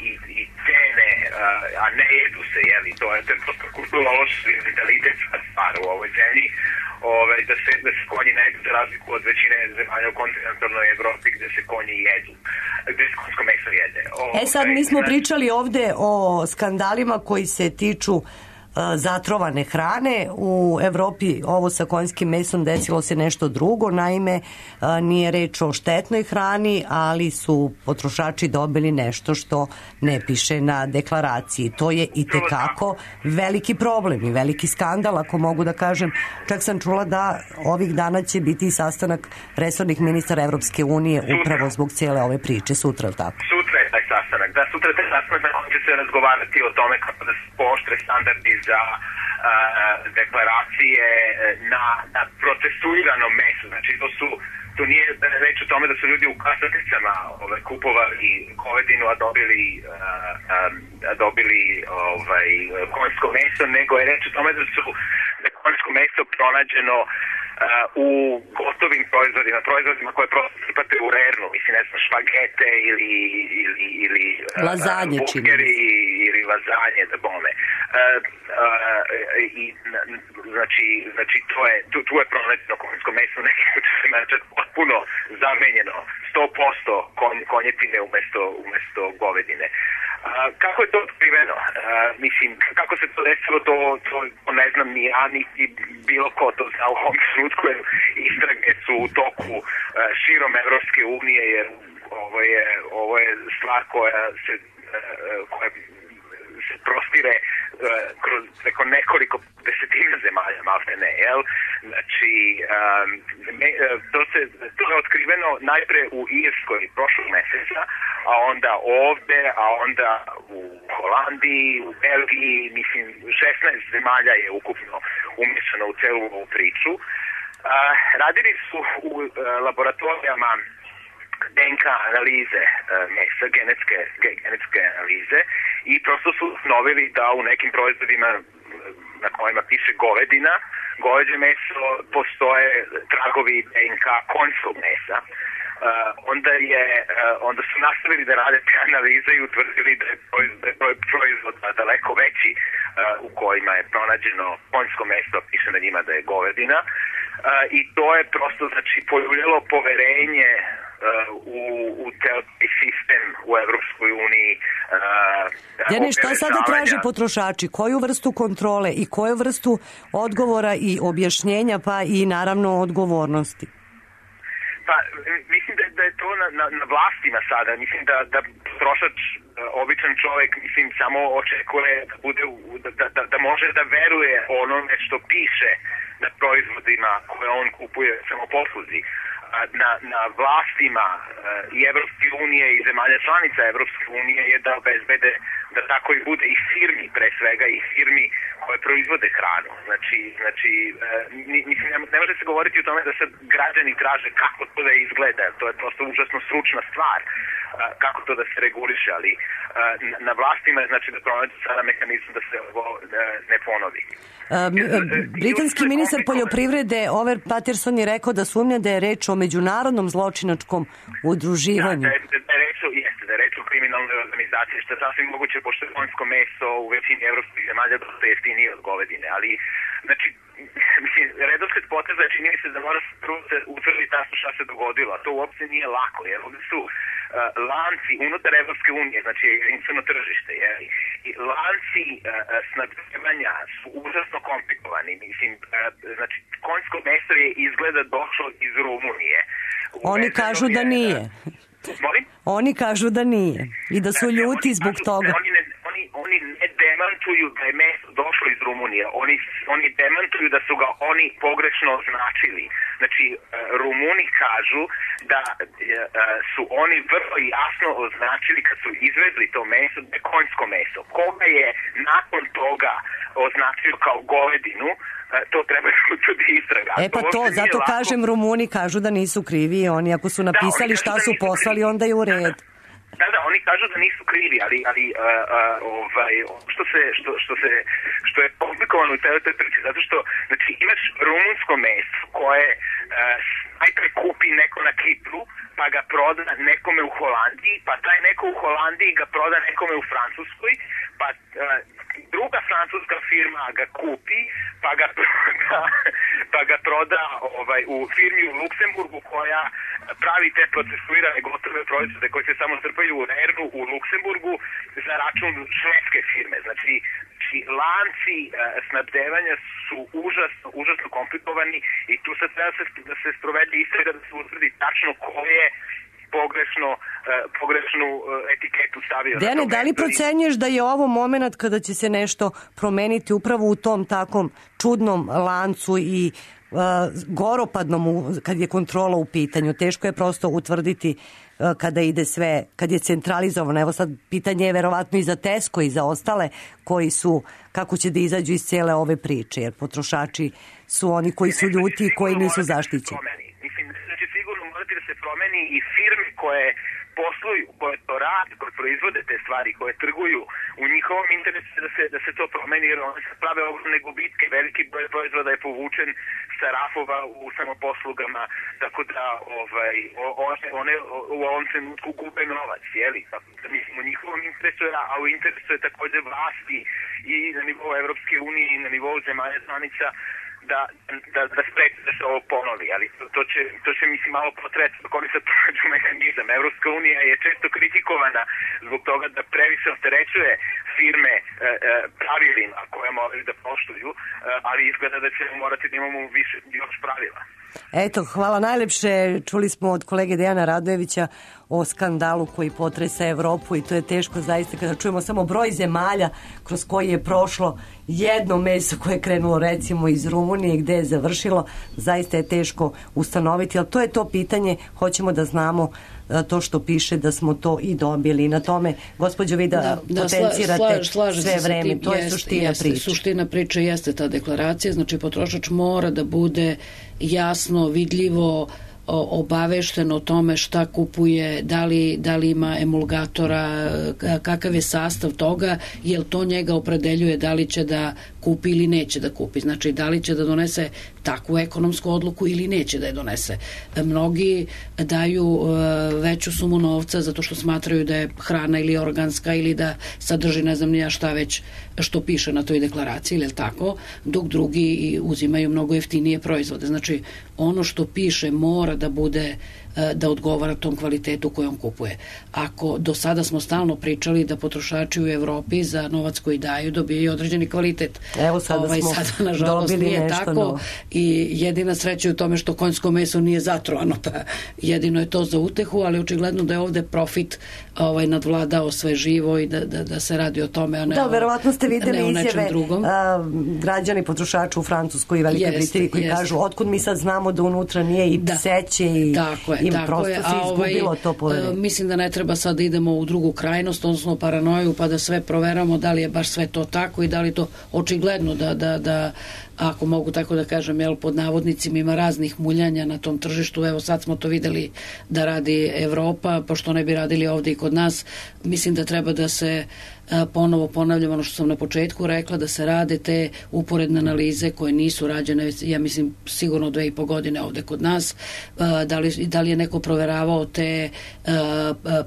[SPEAKER 11] i, i cene, a ne jedu se, jeli, to je, to je prosto kulturološki mentalitetska stvar u ovoj zemlji, ove, da, se, da se konji ne jedu za razliku od većine zemalja u kontinentalnoj Evropi gde se konji jedu, gde se konjsko meso jede. Ove,
[SPEAKER 5] e sad mi smo pričali ovde o skandalima koji se tiču zatrovane hrane. U Evropi ovo sa konjskim mesom desilo se nešto drugo, naime nije reč o štetnoj hrani, ali su potrošači dobili nešto što ne piše na deklaraciji. To je itekako veliki problem i veliki skandal, ako mogu da kažem. Čak sam čula da ovih dana će biti sastanak resornih ministara Evropske unije upravo zbog cijele ove priče. Sutra, ili tako?
[SPEAKER 11] Sutra je taj sastanak. Da, sutra je taj sastanak na kojem će se razgovarati o tome kako da se pooštre standardi za uh, deklaracije na, na procesuirano meso. Znači, to su to nije reč o tome da su ljudi u kasaticama ove, kupovali govedinu, a dobili, uh, um, a dobili ovaj, konjsko meso, nego je reč o tome da su da konjsko meso pronađeno Uh, u gotovim proizvodima, proizvodima koje prosto sipate u rernu, mislim, ne znam, špagete ili, ili, ili
[SPEAKER 5] lazanje,
[SPEAKER 11] uh, burgeri ili lazanje, da bome. Uh, uh, i, znači, znači, to je, tu, tu je pronađeno konjsko meso u nekim slučajima, znači, potpuno zamenjeno, sto posto konj, konjetine umesto, umesto govedine. Uh, kako je to otkriveno? Uh, mislim, kako se to desilo, to, to, to ne znam ni ja, niti bilo ko to zna u ovom trenutku, jer istrage su u toku uh, širom Evropske unije, jer ovo je, ovo je stvar koja se, uh, koja se prostire uh, kroz preko nekoliko desetina zemalja, malte ne, jel? Znači, um, me, uh, to, se, to je otkriveno najpre u Irskoj prošlog meseca, a onda ovde, a onda u Holandiji, u Belgiji, mislim, šesnaest zemalja je ukupno umješano u celu ovu priču. Uh, radili su u uh, laboratorijama D N K analize uh, mesa, genetske, ge, genetske analize i prosto su ustanovili da u nekim proizvodima na kojima piše govedina, goveđe meso, postoje tragovi D N K konjskog mesa. Uh, onda je uh, onda su nastavili da rade te analize i utvrdili da je broj proizvoda daleko veći uh, u kojima je pronađeno konjsko meso, piše na njima da je govedina, uh, i to je prosto, znači, poljuljalo poverenje uh, u, u taj sistem u Evropskoj uniji. Uh,
[SPEAKER 5] Deni, šta sada traže potrošači? Koju vrstu kontrole i koju vrstu odgovora i objašnjenja, pa i naravno odgovornosti?
[SPEAKER 11] Pa, mislim da, da je to na, na, na vlastima sada. Mislim da, da potrošač, običan čovjek, mislim, samo očekuje da bude, da, da, da može da veruje onome što piše na proizvodima koje on kupuje samoposluzi. Na, na vlastima i Evropske unije i zemalja članica Evropske unije je da obezbede da tako i bude i firmi, pre svega i firmi koje proizvode hranu. Znači, znači mislim, ne može se govoriti o tome da se građani traže kako to da izgleda. To je prosto užasno stručna stvar kako to da se reguliše, ali na vlastima je, znači, da pronađe sada mehanizam da se ovo ne ponovi.
[SPEAKER 5] Um, britanski ministar poljoprivrede Over Patterson je rekao da sumnja da je reč o međunarodnom zločinačkom udruživanju.
[SPEAKER 11] Da, da, da je reč o, jeste, da je reč o kriminalnoj organizaciji, što je sasvim moguće, pošto je konjsko meso u većini evropskih zemalja dosta jeftinije od govedine, ali, znači, mislim, redosled poteza čini mi se da mora prvo se utvrditi tačno šta se dogodilo, a to uopće nije lako, jer ovdje su uh, lanci unutar Evropske unije, znači jedinstveno tržište, jer i lanci uh, snabdevanja su užasno komplikovani, mislim, uh, znači, konjsko meso je izgleda došlo iz Rumunije.
[SPEAKER 5] Oni kažu da nije.
[SPEAKER 11] Molim?
[SPEAKER 5] Oni kažu da nije i da su ljuti zbog toga.
[SPEAKER 11] Oni ne, oni, oni ne demantuju demantuju da je meso došlo iz Rumunije. Oni, oni demantuju da su ga oni pogrešno označili. Znači, Rumuni kažu da su oni vrlo jasno označili kad su izvezli to meso da je konjsko meso. Koga je nakon toga označio kao govedinu, to treba da istraga.
[SPEAKER 5] E pa to, zato lako... kažem, Rumuni kažu da nisu krivi, oni ako su napisali da, šta su da poslali, krivi. Onda je u red.
[SPEAKER 11] Da, da, oni kažu da nisu krivi, ali, ali uh, uh, ovaj, što, se, što, što, se, što je komplikovano u toj priči, zato što znači, imaš rumunsko meso koje uh, najpre kupi neko na Kipru, pa ga proda nekome u Holandiji, pa taj neko u Holandiji ga proda nekome u Francuskoj, pa uh, druga francuska firma ga kupi, pa ga proda, pa ga proda ovaj, u firmi u Luksemburgu koja pravi te procesuirane gotove proizvode koje se samo strpaju u Rernu u Luksemburgu za račun švedske firme. Znači, lanci uh, snabdevanja su užasno, užasno komplikovani i tu sad treba se, da se sprovede istraga da se utvrdi tačno ko je pogrešno, uh, pogrešnu uh, etiketu stavio.
[SPEAKER 5] Dejane, da li procenjuješ da je ovo moment kada će se nešto promeniti upravo u tom takom čudnom lancu i uh, goropadnom kad je kontrola u pitanju? Teško je prosto utvrditi uh, kada ide sve, kad je centralizovano. Evo sad pitanje je verovatno i za Tesco i za ostale koji su, kako će da izađu iz cijele ove priče, jer potrošači su oni koji su ljuti i koji nisu zaštićeni.
[SPEAKER 11] Mislim da će sigurno morati da se promeni i firme koje posluju, koje to rade, koje proizvode te stvari, koje trguju, u njihovom interesu da se, da se to promeni, jer one se prave ogromne gubitke, veliki broj proizvoda je povučen sa rafova u samoposlugama, tako da ovaj, one, one u ovom trenutku gube novac, jeli? Tako da mislim, u njihovom interesu, a u interesu je takođe vlasti i na nivou Evropske unije i na nivou zemalja članica da, da, da spreči da se ovo ponovi, ali to, to, će, to će mislim malo potreći dok oni sad pronađu mehanizam. Evropska unija je često kritikovana zbog toga da previše opterećuje firme e, e, pravilima koje moraju da poštuju, e, ali izgleda da ćemo morati da imamo više još pravila.
[SPEAKER 5] Eto, hvala najlepše. Čuli smo od kolege Dejana Radojevića o skandalu koji potresa Evropu i to je teško zaista kada čujemo samo broj zemalja kroz koji je prošlo jedno meso koje je krenulo recimo iz Rumunije gde je završilo. Zaista je teško ustanoviti, ali to je to pitanje. Hoćemo da znamo to što piše da smo to i dobili. Na tome, gospođo, vi da, da, da potencirate slaž, sve vreme. To je jest, suština
[SPEAKER 7] jeste,
[SPEAKER 5] priče.
[SPEAKER 7] Suština priče jeste ta deklaracija. Znači, potrošač mora da bude jasno, vidljivo obavešteno o tome šta kupuje, da li, da li ima emulgatora, kakav je sastav toga, jer to njega opredeljuje da li će da kupi ili neće da kupi. Znači, da li će da donese takvu ekonomsku odluku ili neće da je donese. Mnogi daju veću sumu novca zato što smatraju da je hrana ili organska ili da sadrži ne znam nija šta već što piše na toj deklaraciji, ili tako, dok drugi uzimaju mnogo jeftinije proizvode. Znači, ono što piše mora da bude da odgovara tom kvalitetu koju on kupuje. Ako do sada smo stalno pričali da potrošači u Evropi za novac koji daju dobijaju određeni kvalitet.
[SPEAKER 5] Evo sada
[SPEAKER 7] ovaj,
[SPEAKER 5] smo
[SPEAKER 7] sada, nažalost,
[SPEAKER 5] dobili
[SPEAKER 7] nije
[SPEAKER 5] nešto
[SPEAKER 7] tako
[SPEAKER 5] novo.
[SPEAKER 7] I jedina sreća je u tome što konjsko meso nije zatrovano, pa jedino je to za utehu, ali očigledno da je ovde profit ovaj, nadvladao sve živo i da, da, da se radi o tome, a ne,
[SPEAKER 5] da,
[SPEAKER 7] o,
[SPEAKER 5] verovatno ste videli
[SPEAKER 7] ne o nečem
[SPEAKER 5] izjave,
[SPEAKER 7] drugom.
[SPEAKER 5] A, građani potrošača u Francuskoj i Velikoj Britaniji koji
[SPEAKER 7] jest.
[SPEAKER 5] kažu otkud mi sad znamo da unutra nije i
[SPEAKER 7] da.
[SPEAKER 5] pseće i
[SPEAKER 7] tako je,
[SPEAKER 5] im
[SPEAKER 7] tako
[SPEAKER 5] prosto
[SPEAKER 7] je.
[SPEAKER 5] se izgubilo
[SPEAKER 7] ovaj,
[SPEAKER 5] to poverenje.
[SPEAKER 7] Mislim da ne treba sad da idemo u drugu krajnost, odnosno paranoju, pa da sve proveramo da li je baš sve to tako i da li to očigledno da, da, da ako mogu tako da kažem, jel, pod navodnicima ima raznih muljanja na tom tržištu. Evo sad smo to videli da radi Evropa, pošto ne bi radili ovde i kod nas. Mislim da treba da se ponovo ponavljam ono što sam na početku rekla, da se rade te uporedne analize koje nisu rađene, ja mislim sigurno dve i po godine ovde kod nas. Da li, da li je neko proveravao te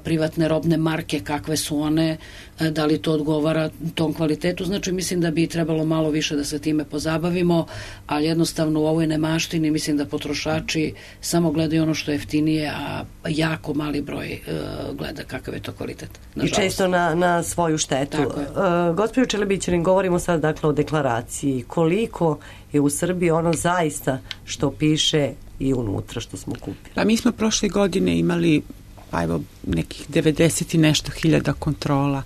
[SPEAKER 7] privatne robne marke, kakve su one, da li to odgovara tom kvalitetu. Znači mislim da bi trebalo malo više da se time pozabavimo, ali jednostavno u ovoj nemaštini mislim da potrošači samo gledaju ono što je jeftinije, a jako mali broj gleda kakav je to kvalitet. Nažalost.
[SPEAKER 5] I često na, na svoju štetu. Uh, Gospodin Čelebićanin, govorimo sad dakle o deklaraciji. Koliko je u Srbiji ono zaista što piše i unutra što smo kupili?
[SPEAKER 9] Pa mi smo prošle godine imali pa evo nekih devedeset i nešto hiljada kontrola.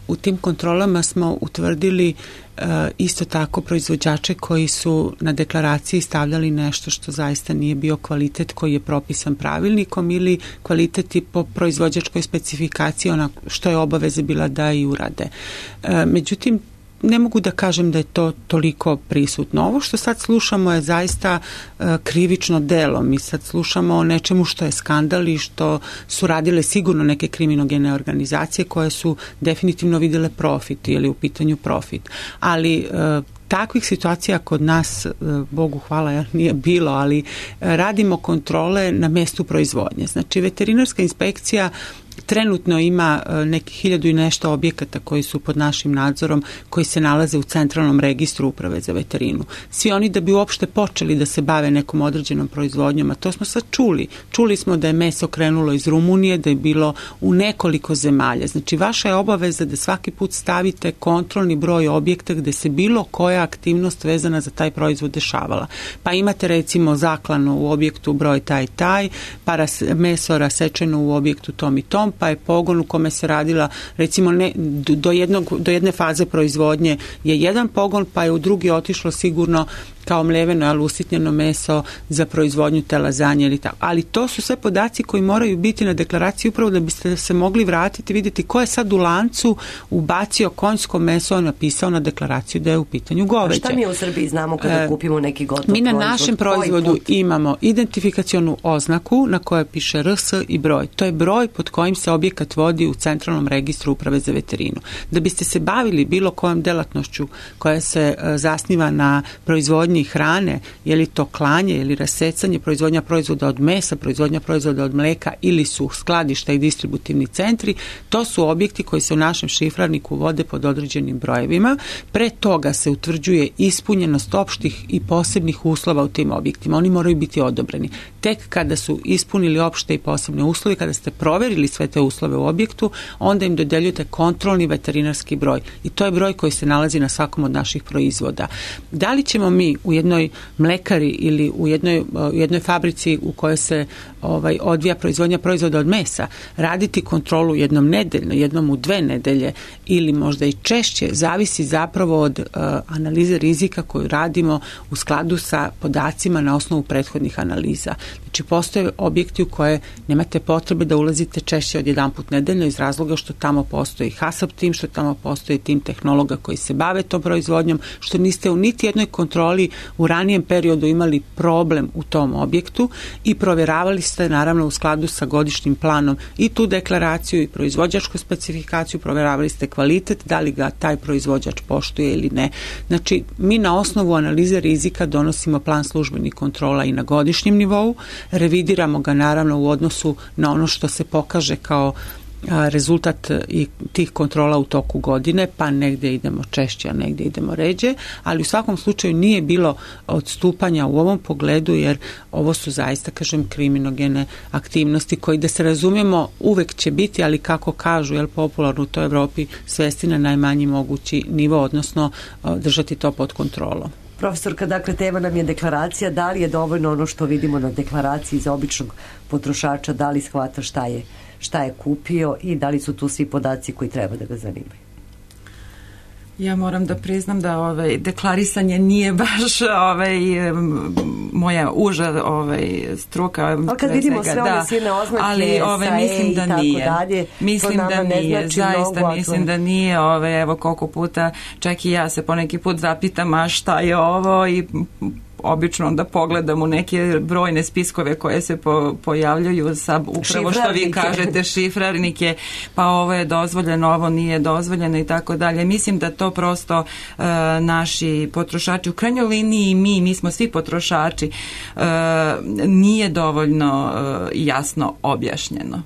[SPEAKER 9] U tim kontrolama smo utvrdili uh, isto tako proizvođače koji su na deklaraciji stavljali nešto što zaista nije bio kvalitet koji je propisan pravilnikom ili kvalitet i po proizvođačkoj specifikaciji ona što je obaveza bila da i urade. Uh, međutim, ne mogu da kažem da je to toliko prisutno. Ovo što sad slušamo je zaista uh, krivično delo. Mi sad slušamo o nečemu što je skandal i što su radile sigurno neke kriminogene organizacije koje su definitivno vidjele profit ili u pitanju profit. Ali uh, takvih situacija kod nas, Bogu hvala, nije bilo, ali radimo kontrole na mjestu proizvodnje. Znači, veterinarska inspekcija trenutno ima neki hiljadu i nešto objekata koji su pod našim nadzorom, koji se nalaze u centralnom registru Uprave za veterinu. Svi oni da bi uopšte počeli da se bave nekom određenom proizvodnjom, a to smo sad čuli. Čuli smo da je meso krenulo iz Rumunije, da je bilo u nekoliko zemalja. Znači, vaša je obaveza da svaki put stavite kontrolni broj objekta gde se bilo koja aktivnost vezana za taj proizvod dešavala. Pa imate recimo zaklano u objektu broj taj taj, pa ras, meso rasečeno u objektu tom i tom, pa je pogon u kome se radila recimo ne, do, jednog, do jedne faze proizvodnje je jedan pogon, pa je u drugi otišlo sigurno kao mljeveno, ali usitnjeno meso za proizvodnju te lazanje ili tako. Ali to su sve podaci koji moraju biti na deklaraciji upravo da biste se mogli vratiti, vidjeti ko je sad u lancu ubacio konjsko meso, napisao na deklaraciju da je u pitanju goveđe.
[SPEAKER 5] A šta mi u Srbiji znamo kada e, kupimo neki gotov
[SPEAKER 9] mi na
[SPEAKER 5] proizvod?
[SPEAKER 9] Našem proizvodu imamo identifikacionu oznaku na kojoj piše R S i broj. To je broj pod kojim se objekat vodi u centralnom registru Uprave za veterinu. Da biste se bavili bilo kojom delatnošću koja se uh, zasniva na proizvodnji hrane, je li to klanje ili rasecanje, proizvodnja proizvoda od mesa, proizvodnja proizvoda od mleka ili su skladišta i distributivni centri, to su objekti koji se u našem šifrarniku vode pod određenim brojevima. Pre toga se utvrđuje ispunjenost opštih i posebnih uslova u tim objektima. Oni moraju biti odobreni. Tek kada su ispunili opšte i posebne uslove, kada ste proverili sve te uslove u objektu, onda im dodeljujete kontrolni veterinarski broj. I to je broj koji se nalazi na svakom od naših proizvoda. Da li ćemo mi u jednoj mlekari ili u jednoj, u jednoj fabrici u kojoj se ovaj, odvija proizvodnja proizvoda od mesa raditi kontrolu jednom nedeljno, jednom u dve nedelje ili možda i češće, zavisi zapravo od uh, analize rizika koju radimo u skladu sa podacima na osnovu prethodnih analiza. Znači, postoje objekti u koje nemate potrebe da ulazite češće od jedan put nedeljno iz razloga što tamo postoji HACCP tim, što tamo postoji tim tehnologa koji se bave tom proizvodnjom, što niste u niti jednoj kontroli u ranijem periodu imali problem u tom objektu i provjeravali ste naravno u skladu sa godišnjim planom i tu deklaraciju i proizvođačku specifikaciju, provjeravali ste kvalitet, da li ga taj proizvođač poštuje ili ne. Znači, mi na osnovu analize rizika donosimo plan službenih kontrola i na godišnjem nivou, revidiramo ga naravno u odnosu na ono što se pokaže kao rezultat i tih kontrola u toku godine, pa negdje idemo češće, a negdje idemo ređe, ali u svakom slučaju nije bilo odstupanja u ovom pogledu, jer ovo su zaista, kažem, kriminogene aktivnosti koji, da se razumijemo, uvek će biti, ali kako kažu, jel, popularno u toj Evropi, svesti na najmanji mogući nivo, odnosno držati to pod kontrolom.
[SPEAKER 5] Profesorka, dakle, tema nam je deklaracija. Da li je dovoljno ono što vidimo na deklaraciji za običnog potrošača, da li shvata šta je, šta je kupio i da li su tu svi podaci koji treba da ga zanimaju?
[SPEAKER 8] Ja moram da priznam da ovaj deklarisanje nije baš ovaj moja uža ovaj struka.
[SPEAKER 5] Ali kad vidimo sve ove silne oznake,
[SPEAKER 8] ali ovaj mislim da nije. Dalje, mislim da nije. Znači zaista mnogo, mislim da nije. Ovaj evo koliko puta čak i ja se poneki put zapitam a šta je ovo i obično da pogledam u neke brojne spiskove koje se po, pojavljuju sa upravo što vi kažete šifrarnike, pa ovo je dozvoljeno, ovo nije dozvoljeno i tako dalje. Mislim da to prosto uh, naši potrošači, u krajnjoj liniji mi, mi smo svi potrošači, uh, nije dovoljno uh, jasno objašnjeno.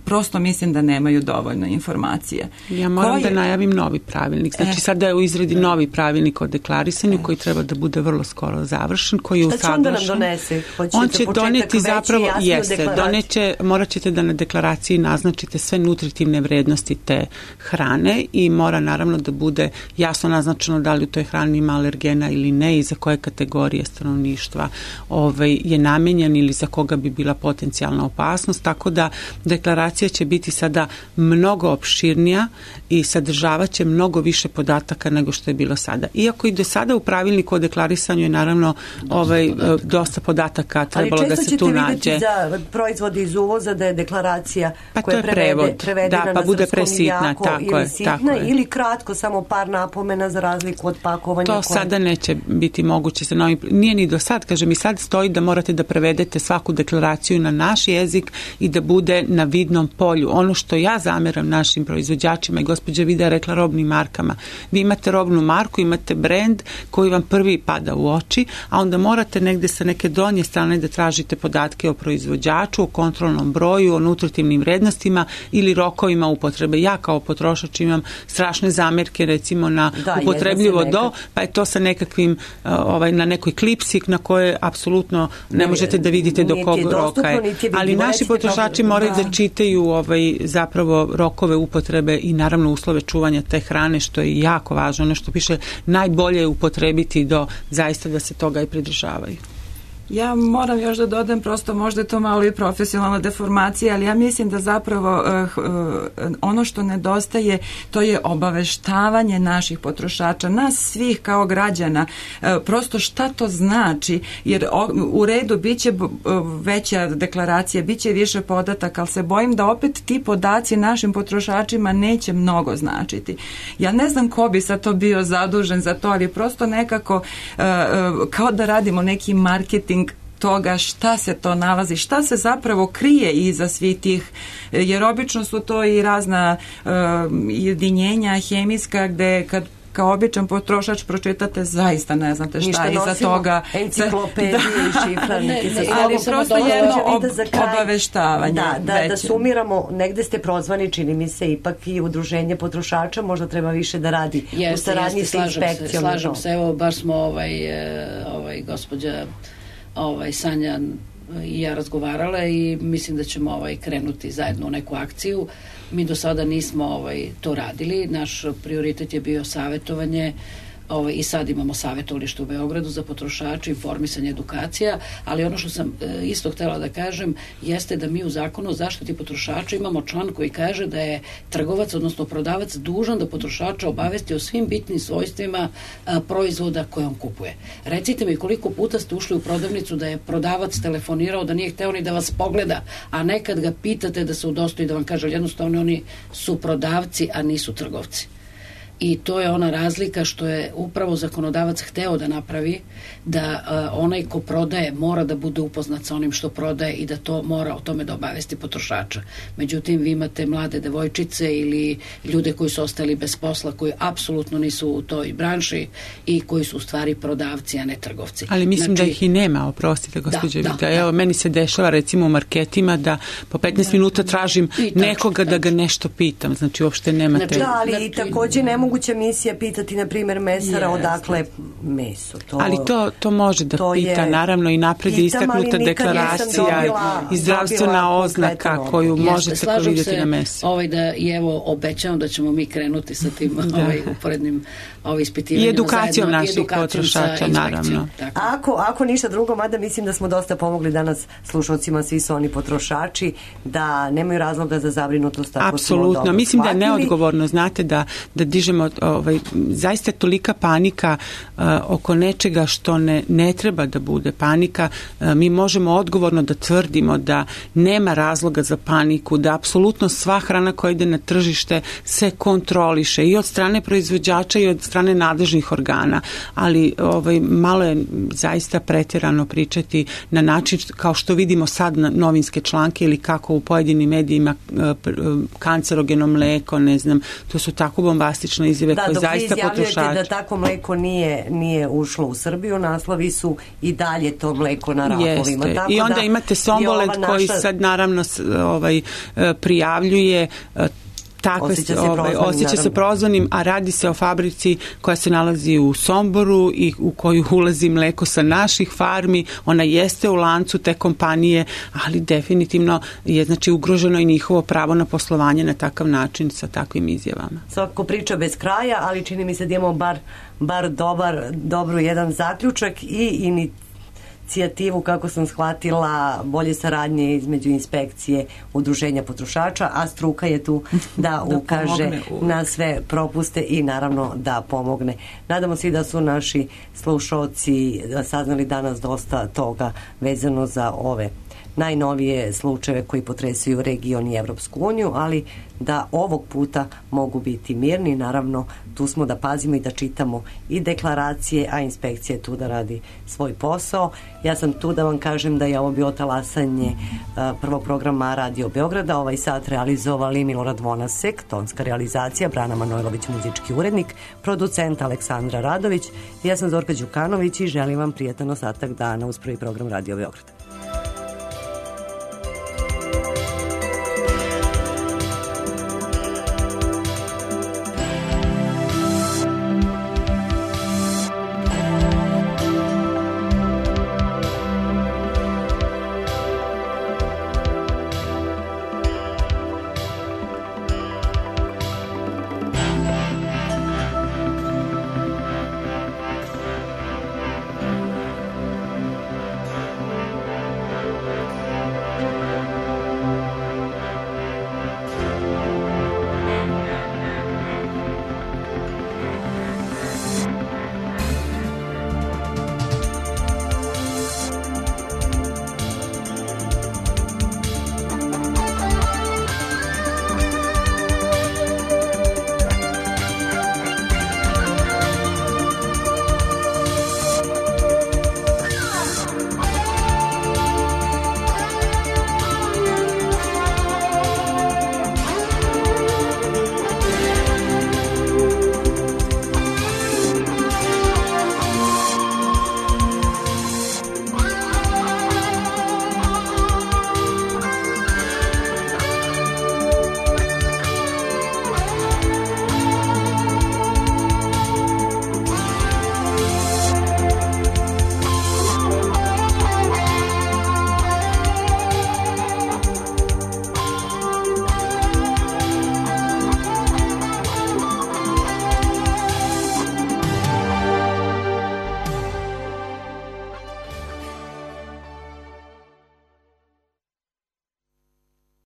[SPEAKER 8] Prosto mislim da nemaju dovoljno informacije.
[SPEAKER 9] Ja moram da najavim novi pravilnik. Znači, sada je u izradi novi pravilnik o deklarisanju koji treba da bude vrlo skoro završen, koji je usaglašen.
[SPEAKER 5] Šta će onda nam donese? Hoćete
[SPEAKER 9] on će doneti zapravo, jeste, doneće, morat ćete da na deklaraciji naznačite sve nutritivne vrednosti te hrane i mora naravno da bude jasno naznačeno da li u toj hrani ima alergena ili ne i za koje kategorije stanovništva ovaj, je namenjen ili za koga bi bila potencijalna opasnost, tako da deklaraciju deklaracija će biti sada mnogo opširnija i sadržavat će mnogo više podataka nego što je bilo sada. Iako i do sada u pravilniku o deklarisanju je naravno dosta, ovaj, podataka. dosta podataka trebalo da se tu nađe.
[SPEAKER 5] Ali često ćete vidjeti za proizvode iz uvoza da je deklaracija
[SPEAKER 9] pa
[SPEAKER 5] koja je prevede, prevedena
[SPEAKER 9] da, pa
[SPEAKER 5] na
[SPEAKER 9] bude
[SPEAKER 5] srpskom
[SPEAKER 9] presitna,
[SPEAKER 5] jako
[SPEAKER 9] tako
[SPEAKER 5] ili
[SPEAKER 9] je,
[SPEAKER 5] sitna
[SPEAKER 9] tako je.
[SPEAKER 5] ili kratko, samo par napomena za razliku od pakovanja.
[SPEAKER 9] To
[SPEAKER 5] koje...
[SPEAKER 9] sada neće biti moguće sa novim. Nije ni do sad, kažem, i sad stoji da morate da prevedete svaku deklaraciju na naš jezik i da bude na vidnom polju. Ono što ja zameram našim proizvođačima i gospođa Vida je rekla robnim markama. Vi imate robnu marku, imate brend koji vam prvi pada u oči, a onda morate negde sa neke donje strane da tražite podatke o proizvođaču, o kontrolnom broju, o nutritivnim vrednostima ili rokovima upotrebe. Ja kao potrošač imam strašne zamerke recimo na da, upotrebljivo do, pa je to sa nekakvim ovaj, na nekoj klipsi na koje apsolutno ne možete da vidite do kog roka je. Ali naši potrošači moraju da, da čitaju ovaj, zapravo rokove upotrebe i naravno uslove čuvanja te hrane, što je jako važno. Ono što piše najbolje je upotrebiti do zaista da se toga i pridržavaju.
[SPEAKER 8] Ja moram još da dodam, prosto možda je to malo i profesionalna deformacija, ali ja mislim da zapravo uh, uh, ono što nedostaje, to je obaveštavanje naših potrošača, nas svih kao građana, uh, prosto šta to znači, jer o, u redu biće uh, veća deklaracija, biće više podataka, ali se bojim da opet ti podaci našim potrošačima neće mnogo značiti. Ja ne znam ko bi sad to bio zadužen za to, ali prosto nekako uh, uh, kao da radimo neki marketing toga šta se to nalazi, šta se zapravo krije iza svih tih, jer obično su to i razna uh, jedinjenja hemijska gde kad kao običan potrošač pročitate, zaista ne znate šta
[SPEAKER 5] ništa
[SPEAKER 8] iza toga.
[SPEAKER 5] Enciklopedije i šifrarnike.
[SPEAKER 8] Ali prosto jedno ob, obaveštavanje.
[SPEAKER 5] Da, da, da sumiramo, negde ste prozvani, čini mi se, ipak i udruženje potrošača možda treba više da radi jeste, u saradnji jeste, sa inspekcijom.
[SPEAKER 7] Se, slažem se, evo, baš smo ovaj, ovaj, gospođa ovaj, Sanja i ja razgovarale i mislim da ćemo ovaj, krenuti zajedno u neku akciju. Mi do sada nismo ovaj, to radili. Naš prioritet je bio savjetovanje ovaj, i sad imamo savjetovalište u Beogradu za potrošače, informisanje, edukacija, ali ono što sam e, isto htjela da kažem jeste da mi u zakonu o zaštiti potrošača imamo član koji kaže da je trgovac, odnosno prodavac dužan da potrošača obavesti o svim bitnim svojstvima a, proizvoda koje on kupuje. Recite mi koliko puta ste ušli u prodavnicu da je prodavac telefonirao da nije hteo ni da vas pogleda, a nekad ga pitate da se udostoji da vam kaže, jednostavno oni su prodavci, a nisu trgovci. I to je ona razlika što je upravo zakonodavac hteo da napravi, da uh, onaj ko prodaje mora da bude upoznat sa onim što prodaje i da to mora o tome da obavesti potrošača. Međutim, vi imate mlade devojčice ili ljude koji su ostali bez posla, koji apsolutno nisu u toj branši i koji su u stvari prodavci, a ne trgovci.
[SPEAKER 9] Ali mislim znači, da ih i nema, oprostite, gospođe da, Vida. Da, Evo, da. Meni se dešava recimo u marketima da po petnaest da, minuta tražim nekoga da ga nešto pitam. Znači, uopšte nemate...
[SPEAKER 5] Znači, da, ali znači, također ne moguća misija pitati, na primjer, mesara yes. odakle meso. To,
[SPEAKER 9] ali to, to može da to pita, je, naravno, i napred je istaknuta deklaracija i zdravstvena oznaka koju jeste, možete vidjeti na meso.
[SPEAKER 7] Ovaj da, i evo, obećavam da ćemo mi krenuti sa tim ovaj, uporednim ovaj, ispitivanjima.
[SPEAKER 9] I edukacijom zajedno, naših potrošača, naravno.
[SPEAKER 5] Ako, ako ništa drugo, mada mislim da smo dosta pomogli danas slušalcima, svi su oni potrošači, da nemaju razloga za zabrinutost.
[SPEAKER 9] Apsolutno. Mislim da je neodgovorno, znate, da, da dižemo ovaj, zaista tolika panika uh, oko nečega što ne, ne treba da bude panika. Uh, mi možemo odgovorno da tvrdimo da nema razloga za paniku, da apsolutno sva hrana koja ide na tržište se kontroliše i od strane proizvođača i od strane nadležnih organa, ali ovaj, malo je zaista pretjerano pričati na način kao što vidimo sad na novinske članke ili kako u pojedinim medijima uh, kancerogeno mleko, ne znam, to su tako bombastične izjave
[SPEAKER 5] da,
[SPEAKER 9] koje zaista potrošači. Da, dok vi izjavljujete da
[SPEAKER 5] tako mleko nije, nije ušlo u Srbiju, naslovi su i dalje to mleko na rafovima.
[SPEAKER 9] Jeste. I onda
[SPEAKER 5] da
[SPEAKER 9] imate Sombolet naša... koji sad naravno ovaj, prijavljuje takve, osjeća se, ovaj, osjeća se prozvanim, a radi se o fabrici koja se nalazi u Somboru i u koju ulazi mleko sa naših farmi. Ona jeste u lancu te kompanije, ali definitivno je znači ugroženo i njihovo pravo na poslovanje na takav način sa takvim izjavama.
[SPEAKER 5] Svako priča bez kraja, ali čini mi se da imamo bar, bar dobar, dobru jedan zaključak i inicijativ inicijativu, kako sam shvatila, bolje saradnje između inspekcije, udruženja potrošača, a struka je tu da, da ukaže na sve propuste i naravno da pomogne. Nadamo se da su naši slušalci saznali danas dosta toga vezano za ove najnovije slučajeve koji potresaju region i Evropsku uniju, ali da ovog puta mogu biti mirni. Naravno, tu smo da pazimo i da čitamo i deklaracije, a inspekcija je tu da radi svoj posao. Ja sam tu da vam kažem da je ovo bio talasanje uh, prvog programa Radio Beograda. Ovaj sat realizovali Milorad Vonasek, tonska realizacija, Brana Manojlović, muzički urednik, producent Aleksandra Radović. Ja sam Zorka Đukanović i želim vam prijetan ostatak dana uz prvi program Radio Beograda.